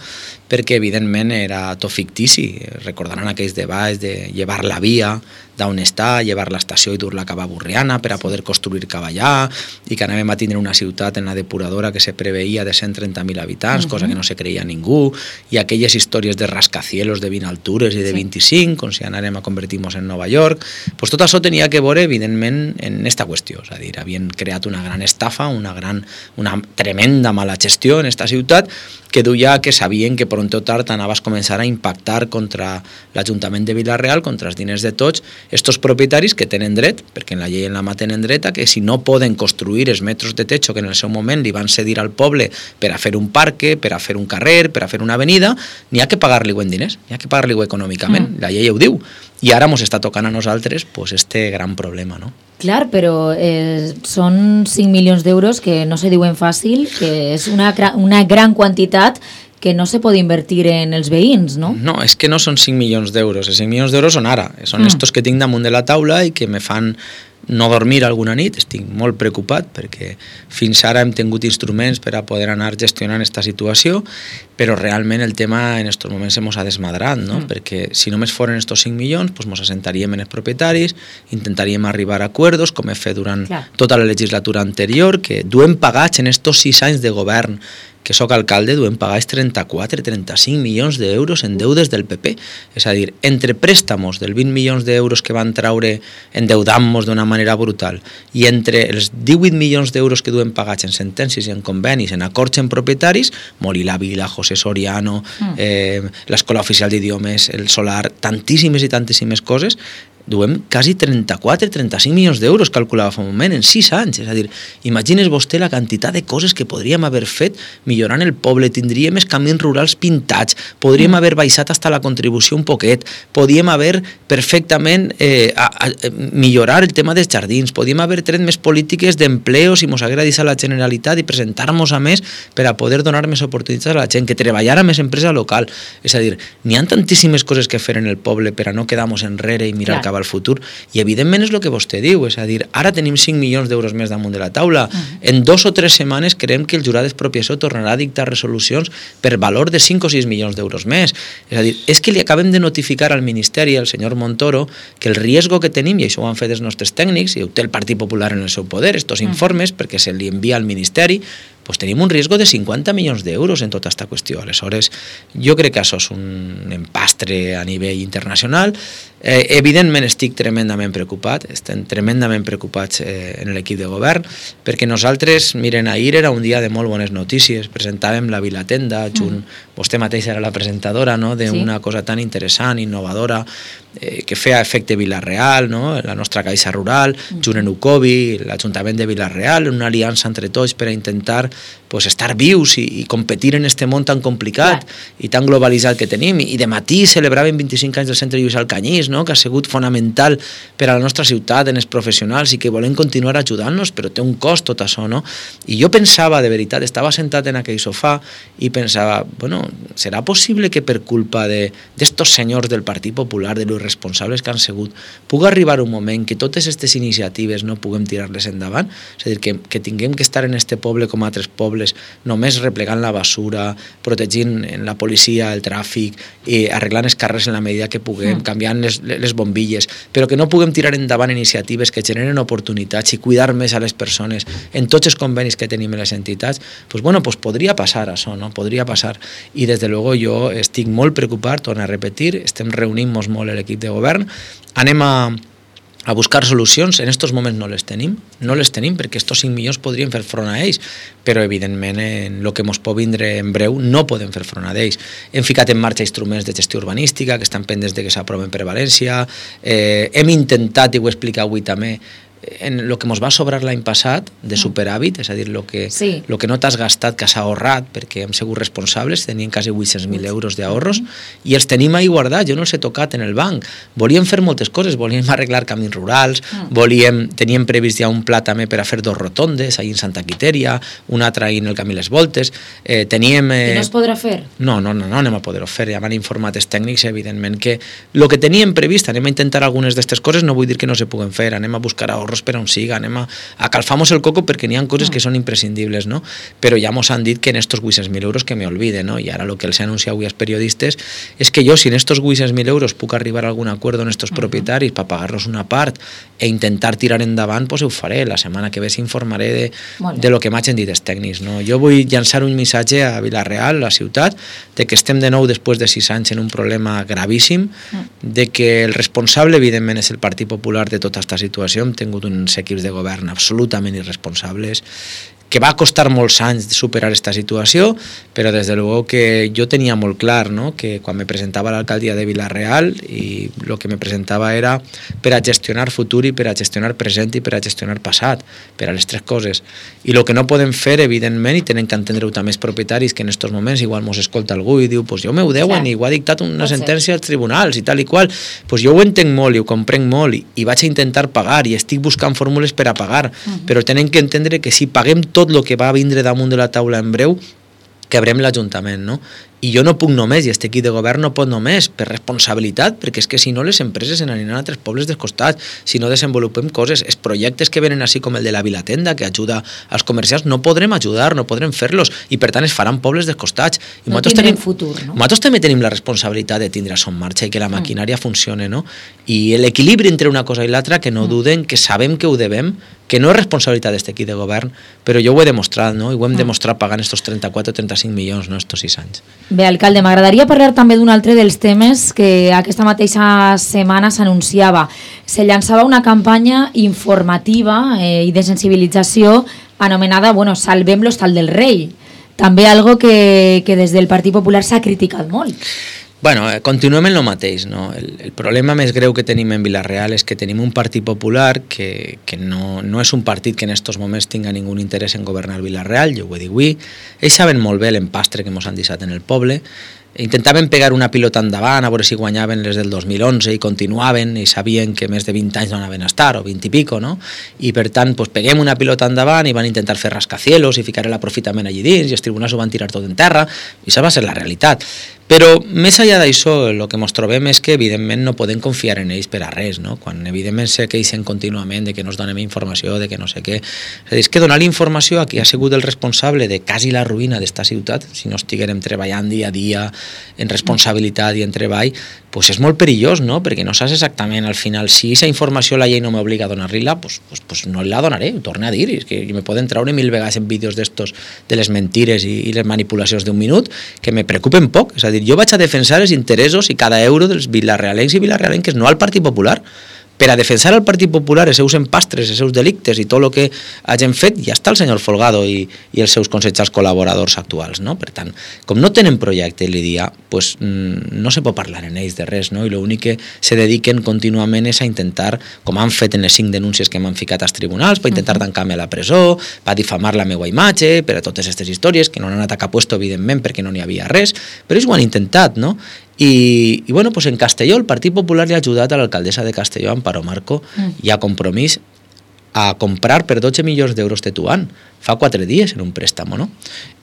perquè evidentment era tot fictici. Recordaran aquells debats de llevar la via d'on està, llevar l'estació i dur-la cap a Burriana per a poder construir cap allà i que anàvem a tindre una ciutat en la depuradora que se preveia de 130.000 habitants, cosa que no se creia ningú, i aquelles històries de rascacielos de 20 altures i de 25, com si anàrem a convertir-nos en Nova York, pues tot això tenia que veure evidentment en esta qüestió, és a dir, havien creat una gran estafa, una tremenda mala gestió en esta ciutat que duia que sabien que pront o tard anaves a començar a impactar contra l'Ajuntament de Vila-real, contra els diners de tots, estos propietaris que tenen dret, perquè en la llei en la mà tenen dret, que si no poden construir els metres de techo que en el seu moment li van cedir al poble per a fer un parque, per a fer un carrer, per a fer una avenida, n'hi ha que pagar-li en diners, n'hi ha que pagar-li econòmicament, la llei ho diu. I ara ens està tocant a nosaltres pues, este gran problema, no? Clar, però són 5 milions d'euros que no se diuen fàcil, que és una gran quantitat que no se pot invertir en els veïns, no? No, és que no són 5 milions d'euros. Els 5 milions d'euros són ara. Són estos que tinc damunt de la taula i que me fan no dormir alguna nit. Estic molt preocupat perquè fins ara hem tingut instruments per a poder anar gestionant aquesta situació, però realment el tema en aquests moments se mos ha desmadrat, no? Perquè si només foren estos 5 milions, pues mos assentaríem en els propietaris, intentaríem arribar a acuerdos, com he fet durant tota la legislatura anterior, que duem pagats en estos 6 anys de govern que sóc alcalde, duem pagats 34-35 milions d'euros en deudes del PP. És a dir, entre préstamos del 20 milions d'euros que van traure endeudant-nos d'una manera brutal i entre els 18 milions d'euros que duem pagats en sentències i en convenis, en acords en propietaris, Molí la Vila, José Soriano, l'Escola Oficial d'Idiomes, el Solar, tantíssimes i tantíssimes coses, duem quasi 34-35 milions d'euros, calculava fa un moment, en 6 anys. És a dir, imagines vostè la quantitat de coses que podríem haver fet millorant el poble, tindríem els camins rurals pintats, podríem haver baixat hasta la contribució un poquet, podríem haver perfectament millorar el tema dels jardins, podríem haver tret més polítiques d'empleo si mos haguera dit a la Generalitat i presentar-nos a més per a poder donar més oportunitats a la gent, que treballara més empresa local. És a dir, n'hi ha tantíssimes coses que fer en el poble per a no quedar-nos enrere i mirar cap al futur, i evidentment és el que vostè diu, és a dir, ara tenim 5 milions d'euros més damunt de la taula, en 2 o 3 setmanes creiem que el jurat d'expropiació tornarà a dictar resolucions per valor de 5 o 6 milions d'euros més. És a dir, és que li acabem de notificar al Ministeri, al senyor Montoro, que el riesgo que tenim, i això ho han fet els nostres tècnics, i ho té el Partit Popular en el seu poder, estos informes, perquè se li envia al Ministeri, pues tenim un riesgo de 50 milions d'euros en tota aquesta qüestió. Aleshores, jo crec que això és un empastre a nivell internacional. Evidentment estic tremendament preocupat, estem tremendament preocupats en l'equip de govern, perquè nosaltres, miren, ahir era un dia de molt bones notícies, presentàvem la Vilatenda, vostè mateixa era la presentadora, no?, d'una cosa tan interessant, innovadora, que feia efecte Vila-real, no?, la nostra caixa rural, junt en Ucovi, l'Ajuntament de Vila-real, una aliança entre tots per a intentar pues, estar vius i competir en este món tan complicat i tan globalitzat que tenim. I de matí celebraven 25 anys del Centre Lluís Alcanyís, no?, que ha sigut fonamental per a la nostra ciutat, en els professionals, i que volem continuar ajudant-nos, però té un cost tot això, no? I jo pensava, de veritat, estava sentat en aquell sofà i pensava, bueno, serà possible que per culpa d'estos senyors del Partit Popular, de los responsables que han sigut, pugui arribar un moment que totes aquestes iniciatives no puguem tirar-les endavant? És a dir, que tinguem que estar en este poble com a altres pobles, només replegant la basura, protegint en la policia el tràfic, arreglant els carrers en la medida que puguem, canviant les bombilles, però que no puguem tirar endavant iniciatives que generen oportunitats i cuidar més a les persones en tots els convenis que tenim en les entitats, pues bueno, pues podria passar això, no? Podria passar. I des de luego jo estic molt preocupat, torno a repetir, estem reunint-nos molt l'equip de govern, anem a buscar solucions. En aquests moments no les tenim perquè estos 5 milions podrien fer front a ells, però evidentment en el que ens pot vindre en breu no podem fer front a ells. Hem ficat en marxa instruments de gestió urbanística que estan pendents de que s'aproven per València, hem intentat, i ho he explicat avui també, en el que ens va sobrar l'any passat de superàvit, és a dir, el que no t'has gastat, que s'ha ahorrat perquè hem sigut responsables, tenien quasi 800.000 euros d'ahorros i els tenim ahí guardats, jo no els he tocat en el banc. Volíem fer moltes coses, volíem arreglar camins rurals, teníem previst ja un pla també per a fer 2 rotondes ahí en Santa Quitèria, una altra ahí en el Camí Les Voltes, teníem... I no es podrà fer? No anem a poder-ho fer, ja m'han informat els tècnics, evidentment, que el que teníem previst, anem a intentar algunes d'aquestes coses, no vull dir que no se puguen fer, anem a buscar ahorros per on siga, anem a calfar-nos el coco perquè n'hi ha coses que són imprescindibles, no? Però ja mos han dit que en estos 800.000 euros que me olvide, no? I ara el que els he anunciat avui als periodistes és que jo, si en estos 800.000 euros puc arribar a algun acord amb estos propietaris per pagar-los una part e intentar tirar endavant, pues ho faré. La setmana que ve s'informaré de lo que m'hagin dit els tècnics, no? Jo vull llançar un missatge a Vila-real, la ciutat, de que estem de nou després de 6 anys en un problema gravíssim, de que el responsable, evidentment, és el Partit Popular de tota aquesta situació. Hem tingut uns equips de govern absolutament irresponsables, que va costar molts anys superar aquesta situació, però des de luego que jo tenia molt clar, no?, que quan me presentava a l'alcaldia de Vila-real i el que me presentava era per a gestionar futur i per a gestionar present i per a gestionar passat, per a les tres coses. I el que no podem fer, evidentment, i tenen que entendre-ho també els propietaris, que en aquests moments igual mos escolta algú i diu, pues jo m'ho deuen i ho ha dictat una sentència als tribunals i tal i qual, pues jo ho entenc molt i ho comprenc molt i vaig a intentar pagar i estic buscant fórmules per a pagar, però tenen que entendre que si paguem tot el que va vindre damunt de la taula en breu, quebrem l'Ajuntament, no? I jo no puc només, i este equip de govern no pot només, per responsabilitat, perquè és que si no les empreses se n'aniran a altres pobles dels costats, si no desenvolupem coses, els projectes que venen així com el de la Vilatenda, que ajuda als comerciants, no podrem ajudar, no podrem fer-los, i per tant es faran pobles dels costats. I no tindrem futur, no? Nosaltres també tenim la responsabilitat de tindre això en marxa i que la maquinària funcione, no? I l'equilibri entre una cosa i l'altra, que no duden, que sabem que ho devem, que no és responsabilitat d'aquest equip de govern, però jo ho he demostrat, no? I ho hem demostrat pagant estos 34 o 35 milions, no?, estos 6 anys. Bé, alcalde, m'agradaria parlar també d'un altre dels temes que aquesta mateixa setmana s'anunciava. Se llançava una campanya informativa i de sensibilització anomenada, bueno, Salvem l'Hostal del Rei. També algo que des del Partit Popular s'ha criticat molt. Bueno, continuem en el mateix, no? El problema més greu que tenim en Vila-real és que tenim un Partit Popular que no és un partit que en aquests moments tinga ningú interès en governar Vila-real, jo ho he dit avui. Ells saben molt bé l'empastre que ens han deixat en el poble. Intentaven pegar una pilota endavant a veure si guanyaven les del 2011 i continuaven i sabien que més de 20 anys no anaven a estar, o 20 i pico, no? I per tant, pues, peguem una pilota endavant i van intentar fer rascacielos i ficar l'aprofitament allí dins i els tribunals ho van tirar tot en terra i això va ser la realitat. Però més enllà d'això, el que ens trobem és que evidentment no podem confiar en ells per a res, no? Quan evidentment se queixen contínuament de que no es donem informació, de que no sé què. És que donar informació a qui ha sigut el responsable de quasi la ruïna d'esta ciutat, si no estiguérem treballant dia a dia en responsabilitat i en treball, pues és molt perillós, no? Perquè no saps exactament al final si aquesta informació la llei no m'obliga a donar-li-la, pues no la donaré, ho torno a dir, és que me poden treure 1000 vegades en vídeos d'estos de les mentires i les manipulacions d'un minut que me preocupen poc, és a dir, jo vaig a defensar els interessos i cada euro dels vilarealencs i vilarealenques, no al Partit Popular. Per a defensar el Partit Popular, els seus empastres, els seus delictes i tot el que hagin fet, ja està el senyor Folgado i els seus consellers col·laboradors actuals, no? Per tant, com no tenen projecte l'IDIA, pues, no se pot parlar en ells de res, no? I l'únic que se dediquen contínuament és a intentar, com han fet en les 5 denúncies que m'han ficat als tribunals, per intentar tancar-me a la presó, per difamar la meva imatge, per a totes aquestes històries, que no han anat a cap puesto, evidentment, perquè no n'hi havia res, però ells ho han intentat, no? I bueno, pues en Castelló el Partit Popular li ha ajudat a l'alcaldessa de Castelló, Amparo Marco, i a Compromís a comprar per 12 milions d'euros Tetuán fa 4 dies en un préstamo, no?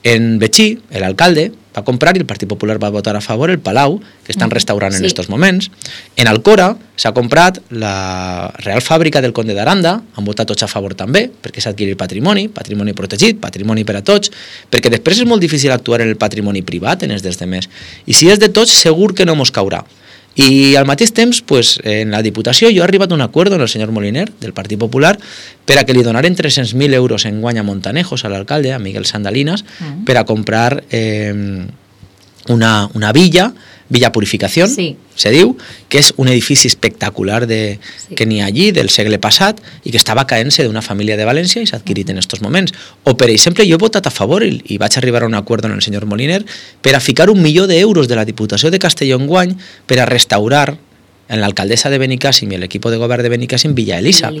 En Betxí, l'alcalde va comprar i el Partit Popular va votar a favor el Palau, que estan restaurant en estos moments. En Alcora s'ha comprat la Real Fàbrica del Conde d'Aranda, han votat tots a favor també, perquè s'ha adquirit patrimoni protegit, patrimoni per a tots, perquè després és molt difícil actuar en el patrimoni privat, en els dels demés. I si és de tots, segur que no mos caurà. I al mateix temps, pues, en la Diputació jo he arribat a un acord amb el senyor Moliner del Partit Popular per a que li donaren 300.000 euros en guany a Montanejos, a l'alcalde, a Miguel Sandalinas, per a comprar una Villa Purificación, se diu, que és un edifici espectacular que n'hi ha allí del segle passat i que estava caent-se d'una família de València i s'ha adquirit en aquests moments. O, per exemple, jo he votat a favor i vaig arribar a un acord amb el senyor Moliner per a ficar 1 milió d'euros de la Diputació de Castelló en guany per a restaurar en l'alcaldessa de Benicàssim i l'equip de govern de Benicàssim Villa Elisa.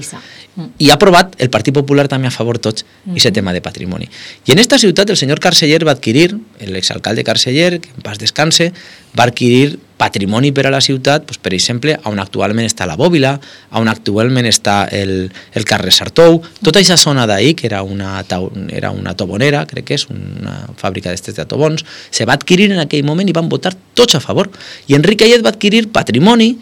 I ha aprovat el Partit Popular també a favor tots aquest tema de patrimoni. I en esta ciutat el senyor Carceller va adquirir, l'exalcalde Carceller, que en pas descanse, va adquirir patrimoni per a la ciutat, pues, per exemple, on actualment està la Bòbila, on actualment està el carrer Sartou, tota aquesta zona d'ahir, que era una tobonera, crec que és una fàbrica d'estes de tobons, se va adquirir en aquell moment i van votar tots a favor. I Enric Ayet va adquirir patrimoni,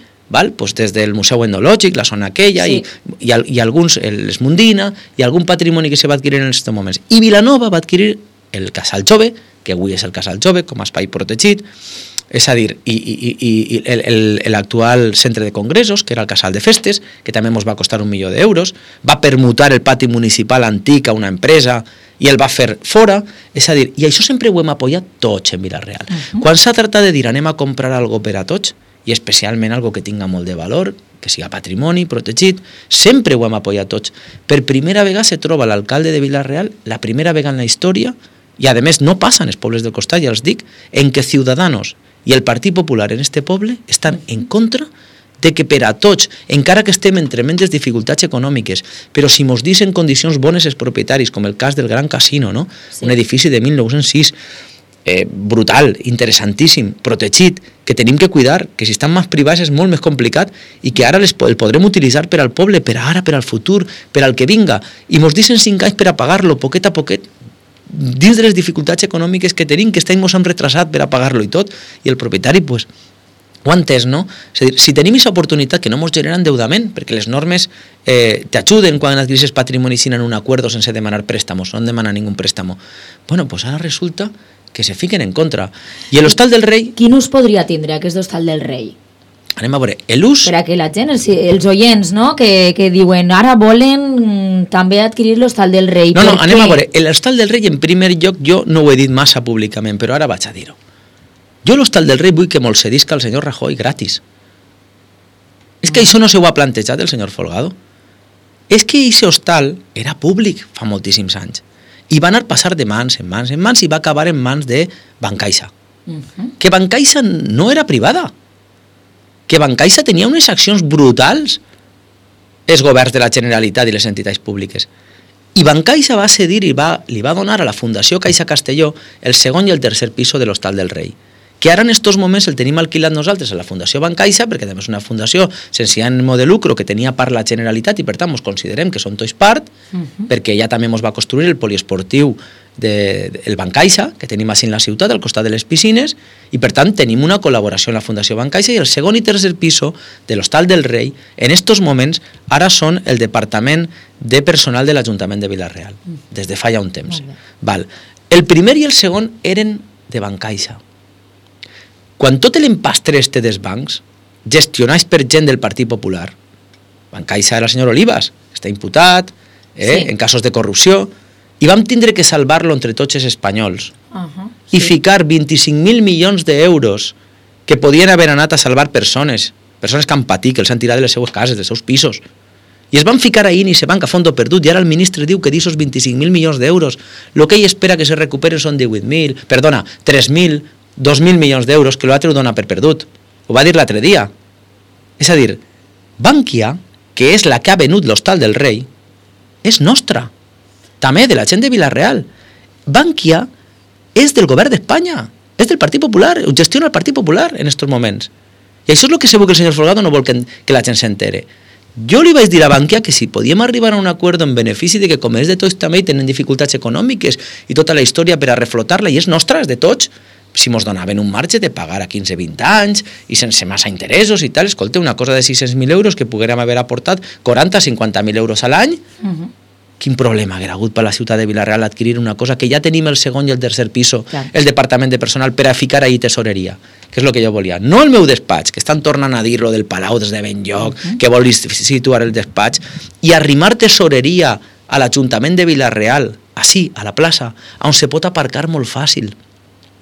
pues des del Museu Etnològic, la zona aquella, i alguns, l'Esmundina, i algun patrimoni que se va adquirir en aquests moments. I Vilanova va adquirir el Casal Jove, que avui és el Casal Jove, com a espai protegit, és a dir, i l'actual centre de congressos, que era el Casal de Festes, que també ens va costar 1 milió d'euros, va permutar el pati municipal antic a una empresa i el va fer fora, és a dir, i això sempre ho hem apoyat tots en Vila-real. Quan s'ha tractat de dir anem a comprar algo per a tots, i especialment algo que tinga molt de valor, que siga patrimoni protegit, sempre ho hem apoyat tots. Per primera vegada se troba l'alcalde de Vila-real, la primera vegada en la història, i a més no passa en els pobles del costat, ja els dic, en què Ciudadanos i el Partit Popular en este poble estan en contra de que per a tots, encara que estem en tremendes dificultats econòmiques, però si mos dicen condicions bones els propietaris, com el cas del Gran Casino, no? Sí. Un edifici de 1906, brutal, interessantíssim, protegit, que tenim que cuidar, que si estan més privats és molt més complicat i que ara el podrem utilitzar per al poble, per ara, per al futur, per al que vinga, i mos dicen 5 anys per a pagar-lo, poquet a poquet, dins de les dificultats econòmiques que tenim, que estem mos hem retrasat per a pagar-lo i tot, i el propietari, pues, ho ha entès, no? És a dir, si tenim aquesta oportunitat que no ens genera endeudament, perquè les normes t'ajuden quan adquiris patrimoni sin en un acuerdo sense demanar préstamos, no han demanat ningú préstamo. Bueno, pues ara resulta que se fiquen en contra. I l'Hostal del Rei... Quin ús podria tindre aquest Hostal del Rei? Anem a veure, l'ús... Per a que la gent, els oients, no?, que diuen ara volen també adquirir l'Hostal del Rei. No, anem a veure, l'Hostal del Rei en primer lloc jo no ho he dit massa públicament, però ara vaig a dir-ho. Jo l'Hostal del Rei vull que me'l cedisca el senyor Rajoy gratis. És que això no se ho ha plantejat el senyor Folgado. És que aquest hostal era públic fa moltíssims anys i va anar passar de mans en mans en mans i va acabar en mans de Bancaixa. Que Bancaixa no era privada, que Bancaixa tenia unes accions brutals els governs de la Generalitat i les entitats públiques. I Bancaixa va cedir i li va donar a la Fundació Caixa Castelló el segon i el tercer piso de l'Hostal del Rei, que ara en estos moments el tenim alquilat nosaltres a la Fundació Bancaixa, perquè també és una fundació sense ànim de lucro que tenia part la Generalitat i per tant ens considerem que són tots part, perquè ella també ens va construir el poliesportiu del Bancaixa, que tenim així en la ciutat, al costat de les piscines, i per tant tenim una col·laboració en la Fundació Bancaixa, i el segon i tercer piso de l'Hostal del Rei, en estos moments, ara són el Departament de Personal de l'Ajuntament de Vila-real, des de fa ja un temps. Val. El primer i el segon eren de Bancaixa. Quan tot l'empastre este dels bancs, gestionats per gent del Partit Popular, Bancaixa era el senyor Olivas, està imputat, en casos de corrupció, i vam tindre que salvar-lo entre tots els espanyols i ficar 25.000 milions d'euros que podien haver anat a salvar persones que han patit, que els han tirat de les seues cases, dels seus pisos, i es van ficar ahí i se van a fondo perdut, i ara el ministre diu que d'aquests 25.000 milions d'euros el que ell espera que se recuperen són 3.000, 2.000 milions d'euros, que l'altre ho dona per perdut. Ho va dir l'altre dia. És a dir, Bankia, que és la que ha venut l'Hostal del Rei, és nostra. També de la gent de Vila-real. Bankia és del govern d'Espanya, és del Partit Popular, ho gestiona el Partit Popular en aquests moments. I això és el que segur que el senyor Folgado no vol que la gent s'entere. Jo li vaig dir a Bankia que si podíem arribar a un acord en benefici de que com és de tots també tenen dificultats econòmiques i tota la història per a reflotar-la, i és nostra, és de tots, si mos donaven un marge de pagar a 15-20 anys i sense massa interessos i tal, escolta, una cosa de 600.000 euros que poguérem haver aportat 40-50.000 euros a l'any, quin problema haguera hagut per la ciutat de Vila-real adquirir una cosa que ja tenim el segon i el tercer piso, el Departament de Personal, per a ficar ahí tesoreria, que és el que jo volia. No el meu despatx, que estan tornant a dir-lo del Palau des de ben lloc, que vol situar el despatx, i arrimar tesoreria a l'Ajuntament de Vila-real, així, a la plaça, on se pot aparcar molt fàcil,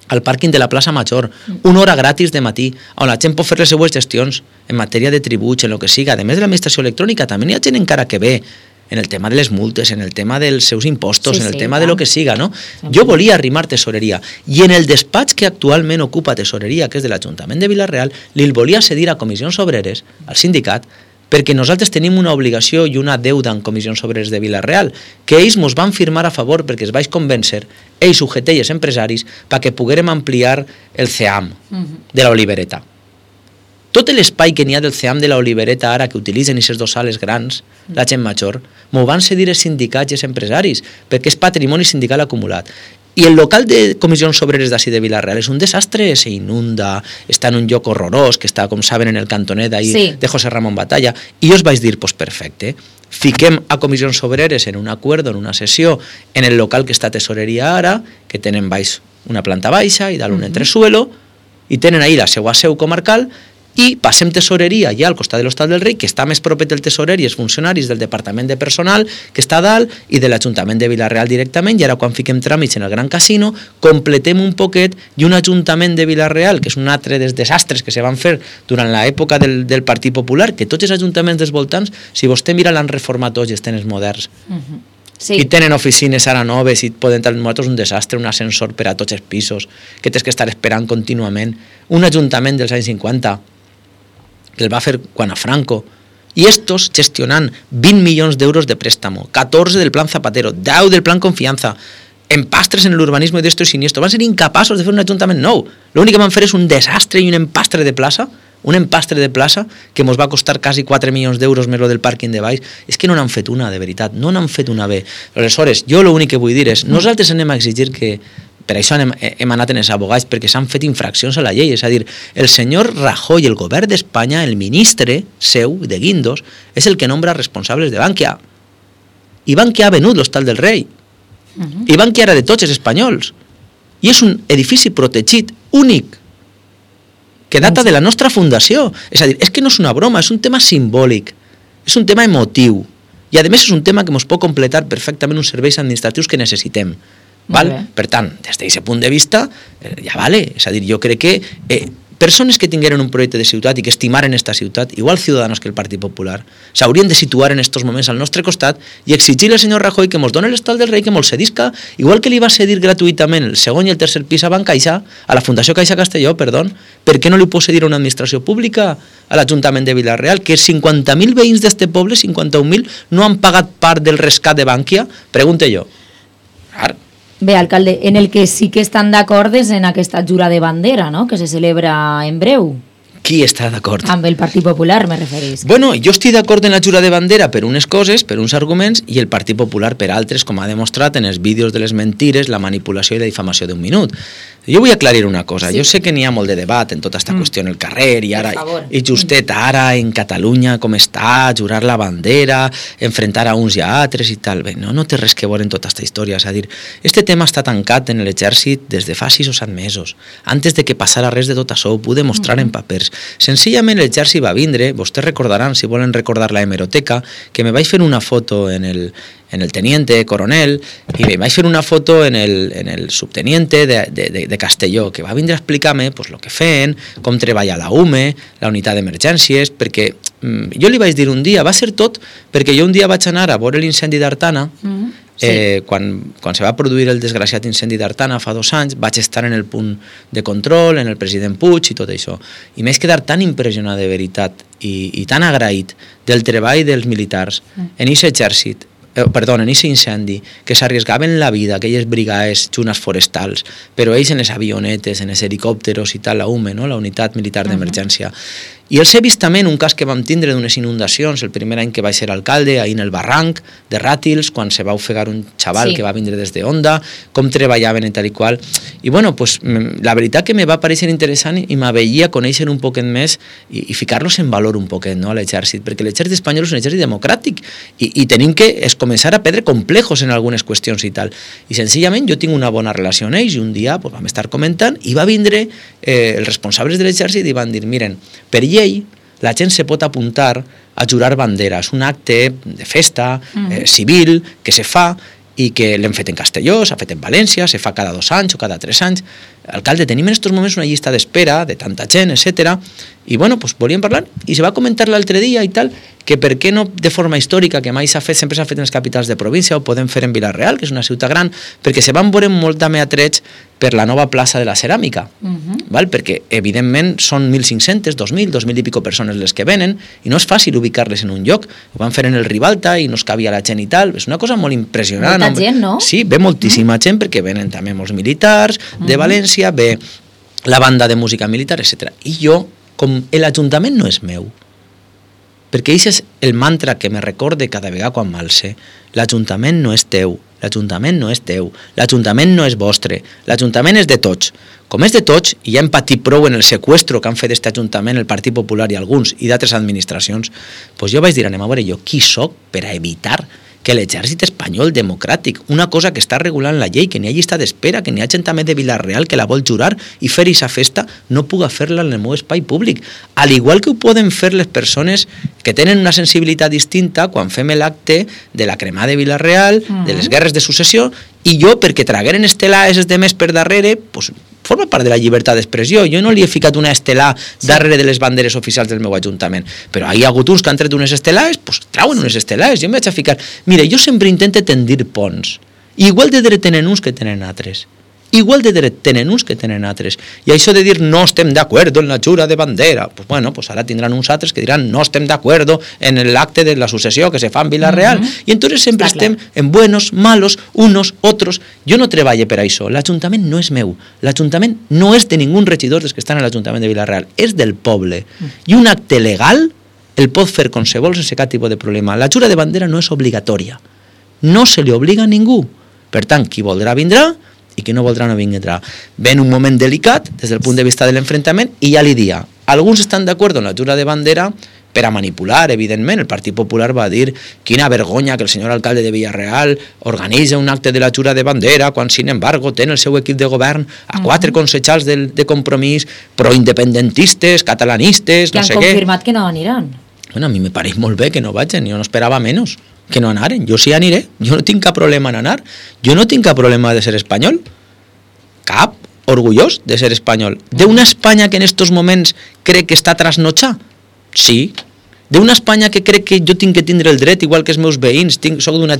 al pàrquing de la plaça Major, una hora gratis de matí, on la gent pot fer les seues gestions en matèria de tributs, en el que siga. A més de l'administració electrònica, també hi ha gent encara que ve en el tema de les multes, en el tema dels seus impostos, en el tema de lo que siga, no? Jo volia arrimar tesoreria, i en el despatx que actualment ocupa tesoreria, que és de l'Ajuntament de Vila-real, li volia cedir a Comissions Obreres, al sindicat, perquè nosaltres tenim una obligació i una deuda en Comissions Obreres de Vila-real, que ells ens van firmar a favor perquè es vaig convèncer, ells sujetelles empresaris, perquè poguérem ampliar el CEAM de la Olivereta. Tot l'espai que n'hi ha del CEAM de la Olivereta ara que utilitzen aquestes dues sales grans, la gent major, m'ho van cedir els sindicats i els empresaris, perquè és patrimoni sindical acumulat. I el local de Comissions Obreres d'ací de Vila-real és un desastre, s'inunda, està en un lloc horrorós, que està, com saben, en el cantonet d'ahir de José Ramón Batalla, i jo us vaig dir, pues perfecte, fiquem a Comissions Obreres en un acord, en una sessió, en el local que està tesoreria ara, que tenen baix una planta baixa i dalt un entresuelo, i tenen ahir la seva seu comarcal, i passem tesoreria ja al costat de l'Hostal del Rei, que està més proper del tesorer i els funcionaris del Departament de Personal, que està a dalt, i de l'Ajuntament de Vila-real directament, i ara quan fiquem tràmits en el Gran Casino, completem un poquet, i un Ajuntament de Vila-real, que és un altre dels desastres que se van fer durant l'època del Partit Popular, que tots els ajuntaments dels voltants, si vostè mira, l'han reformat tots i estan els moderns. Sí. I tenen oficines ara noves i poden tenir nosaltres un desastre, un ascensor per a tots els pisos, que tens que estar esperant contínuament. Un ajuntament dels anys 50, que el va fer quan a Franco, i estos gestionant 20 milions d'euros de préstamo, 14 del plan Zapatero, 10 del plan Confianza, empastres en l'urbanisme d'esto i siniestro, van ser incapaços de fer un ajuntament nou. L'únic que van fer és un desastre i un empastre de plaça, que ens va costar quasi 4 milions d'euros més lo del pàrquing de baix. És que no n'han fet una, de veritat, no n'han fet una bé. Aleshores, jo l'únic que vull dir és, nosaltres anem a exigir que, per això hem anat en els abogats, perquè s'han fet infraccions a la llei, és a dir, el senyor Rajoy, el govern d'Espanya, el ministre seu, de Guindos, és el que nombra responsables de Bankia. I Bankia ha venut l'Hostal del Rei. I Bankia era de tots els espanyols. I és un edifici protegit, únic, que data de la nostra fundació. És a dir, és que no és una broma, és un tema simbòlic, és un tema emotiu, i a més és un tema que ens pot completar perfectament uns serveis administratius que necessitem. Val? Per tant, des d'aquest punt de vista, ja vale. És a dir, jo crec que persones que tingueren un projecte de ciutat i que estimaren esta ciutat, igual Ciudadanos que el Partit Popular, s'haurien de situar en estos moments al nostre costat i exigir al senyor Rajoy que ens doni l'Hostal del Rei, que ens cedisca, igual que li va cedir gratuïtament el segon i el tercer pis a Bancaixa, a la Fundació Caixa Castelló, per què no li pot cedir a una administració pública, a l'Ajuntament de Vila-real, que 50.000 veïns d'este poble, 51.000, no han pagat part del rescat de Bankia? Pregunte jo. Bé, alcalde, en el que sí que estan d'acord és en aquesta jura de bandera, no?, que se celebra en breu. Qui està d'acord? Amb el Partit Popular, me referís. Bueno, jo estic d'acord en la jura de bandera per unes coses, per uns arguments, i el Partit Popular per altres, com ha demostrat en els vídeos de les mentires, la manipulació i la difamació d'un minut. Jo vull aclarir una cosa. Jo sé que n'hi ha molt de debat en tota aquesta qüestió en el carrer, i ara, i justet ara en Catalunya com està, jurar la bandera, enfrontar a uns i a altres i tal. Bé, no té res que veure en tota aquesta història. És a dir, este tema està tancat en l'exèrcit des de fa 6 o 7 mesos. Antes de que passara res de tot això, ho puc demostrar en papers. Senzillament l'exèrcit va vindre, vostès recordaran, si volen recordar la hemeroteca, que me vaig fer una foto en el teniente coronel i me vaig fer una foto en el subteniente de Castelló, que va vindre a explicar-me pues, el que feien, com treballa la UME, la unitat d'emergències, perquè jo li vaig dir un dia, va ser tot perquè jo un dia vaig anar a veure l'incendi d'Artana. Quan se va produir el desgraciat incendi d'Artana fa 2 anys, vaig estar en el punt de control, en el president Puig i tot això, i m'he quedat tan impressionat de veritat i tan agraït del treball dels militars en aquest exèrcit, en aquest incendi, que s'arrisgaven la vida, aquelles brigades junes forestals, però ells en les avionetes, en els helicòpteros i tal, la UME, no? La unitat militar d'emergència. I els he vist també en un cas que vam tindre d'unes inundacions, el primer any que vaig ser alcalde, ahir en el barranc de Ràtils, quan se va ofegar un xaval que va vindre des de Onda, com treballaven i tal i qual. I bueno, pues, la veritat que me va parèixer interessant i m'aveia conèixer un poquet més i ficar-los en valor un poquet, no?, a l'exèrcit, perquè l'exèrcit espanyol és un exèrcit democràtic i tenim que començar a perdre complejos en algunes qüestions i tal. I senzillament jo tinc una bona relació amb ells i un dia pues, vam estar comentant i va vindre els responsables de l'exèrcit i van dir, miren, per llei, la gent se pot apuntar a jurar bandera. És un acte de festa civil que se fa i que l'hem fet en Castelló, s'ha fet en València, se fa cada 2 anys o cada 3 anys. Alcalde, tenim en aquests moments una llista d'espera de tanta gent, etc. I bueno, pues volíem parlar i se va comentar l'altre dia i tal, que per què no de forma històrica, que mai s'ha fet, sempre s'ha fet en les capitals de província, o podem fer en Vila-real, que és una ciutat gran, perquè se van veure molt també atrets per la nova plaça de la ceràmica, val? Perquè evidentment són 1.500, 2.000, 2.000 i pico persones les que venen, i no és fàcil ubicar-les en un lloc. Ho van fer en el Ribalta i no es cabia la gent i tal, és una cosa molt impressionant. Molta gent, no? Sí, ve moltíssima gent, perquè venen també molts militars de València, ve la banda de música militar, etc. I jo, com l'Ajuntament no és meu, perquè això és el mantra que me recorde cada vegada quan m'alce, l'Ajuntament no és teu, l'Ajuntament no és teu, l'Ajuntament no és vostre, l'Ajuntament és de tots. Com és de tots, i ja hem patit prou en el seqüestro que han fet d'aquest Ajuntament el Partit Popular i alguns, i d'altres administracions, doncs jo vaig dir, anem a veure jo qui soc per a evitar que l'exèrcit espanyol democràtic, una cosa que està regulant la llei, que n'hi ha llista d'espera, que n'hi ha gent també de Vila-real que la vol jurar i fer aquesta festa, no puga fer-la en el meu espai públic. Al igual que ho poden fer les persones que tenen una sensibilitat distinta quan fem l'acte de la cremada de Vila-real, de les guerres de successió, i jo, perquè tragueren estelades de més per darrere, pues, forma part de la llibertat d'expressió. Jo no li he ficat una estelà darrere de les banderes oficials del meu ajuntament, però hi ha hagut uns que han tret unes estelades, pues trauen unes estelades. Jo em vaig a ficar... Mira, jo sempre intento tendir ponts. Igual de dret tenen uns que tenen altres. Igual de dret tenen uns que tenen altres. I això de dir no estem d'acord en la jura de bandera, pues bueno, pues ara tindran uns altres que diran no estem d'acord en l'acte de la successió que se fa en Vila-real. I entonces sempre estem en buenos, malos, unos, otros. Jo no treballo per això. L'Ajuntament no és meu. L'Ajuntament no és de ningú regidor dels que estan a l'Ajuntament de Vila-real. És del poble. I un acte legal el pot fer qualsevol sense cap tipus de problema. La jura de bandera no és obligatòria. No se li obliga a ningú. Per tant, qui voldrà vindrà i qui no voldrà no vindrà. Ven un moment delicat des del punt de vista de l'enfrontament i ja li dia. Alguns estan d'acord en la jura de bandera per a manipular, evidentment. El Partit Popular va dir quina vergonya que el senyor alcalde de Vila-real organitza un acte de la jura de bandera quan, sin embargo, té el seu equip de govern a 4 consellers de Compromís, proindependentistes, catalanistes, no sé què. Que han confirmat que no aniran. Bueno, a mi me pareix molt bé que no vagin, jo no esperava menys que no anaren. Jo sí aniré, jo no tinc cap problema en anar, jo no tinc cap problema de ser espanyol, cap, orgullós de ser espanyol. D'una Espanya que en estos moments crec que està trasnotxada? Sí. D'una Espanya que crec que jo tinc que tindre el dret, igual que els meus veïns, soc d'una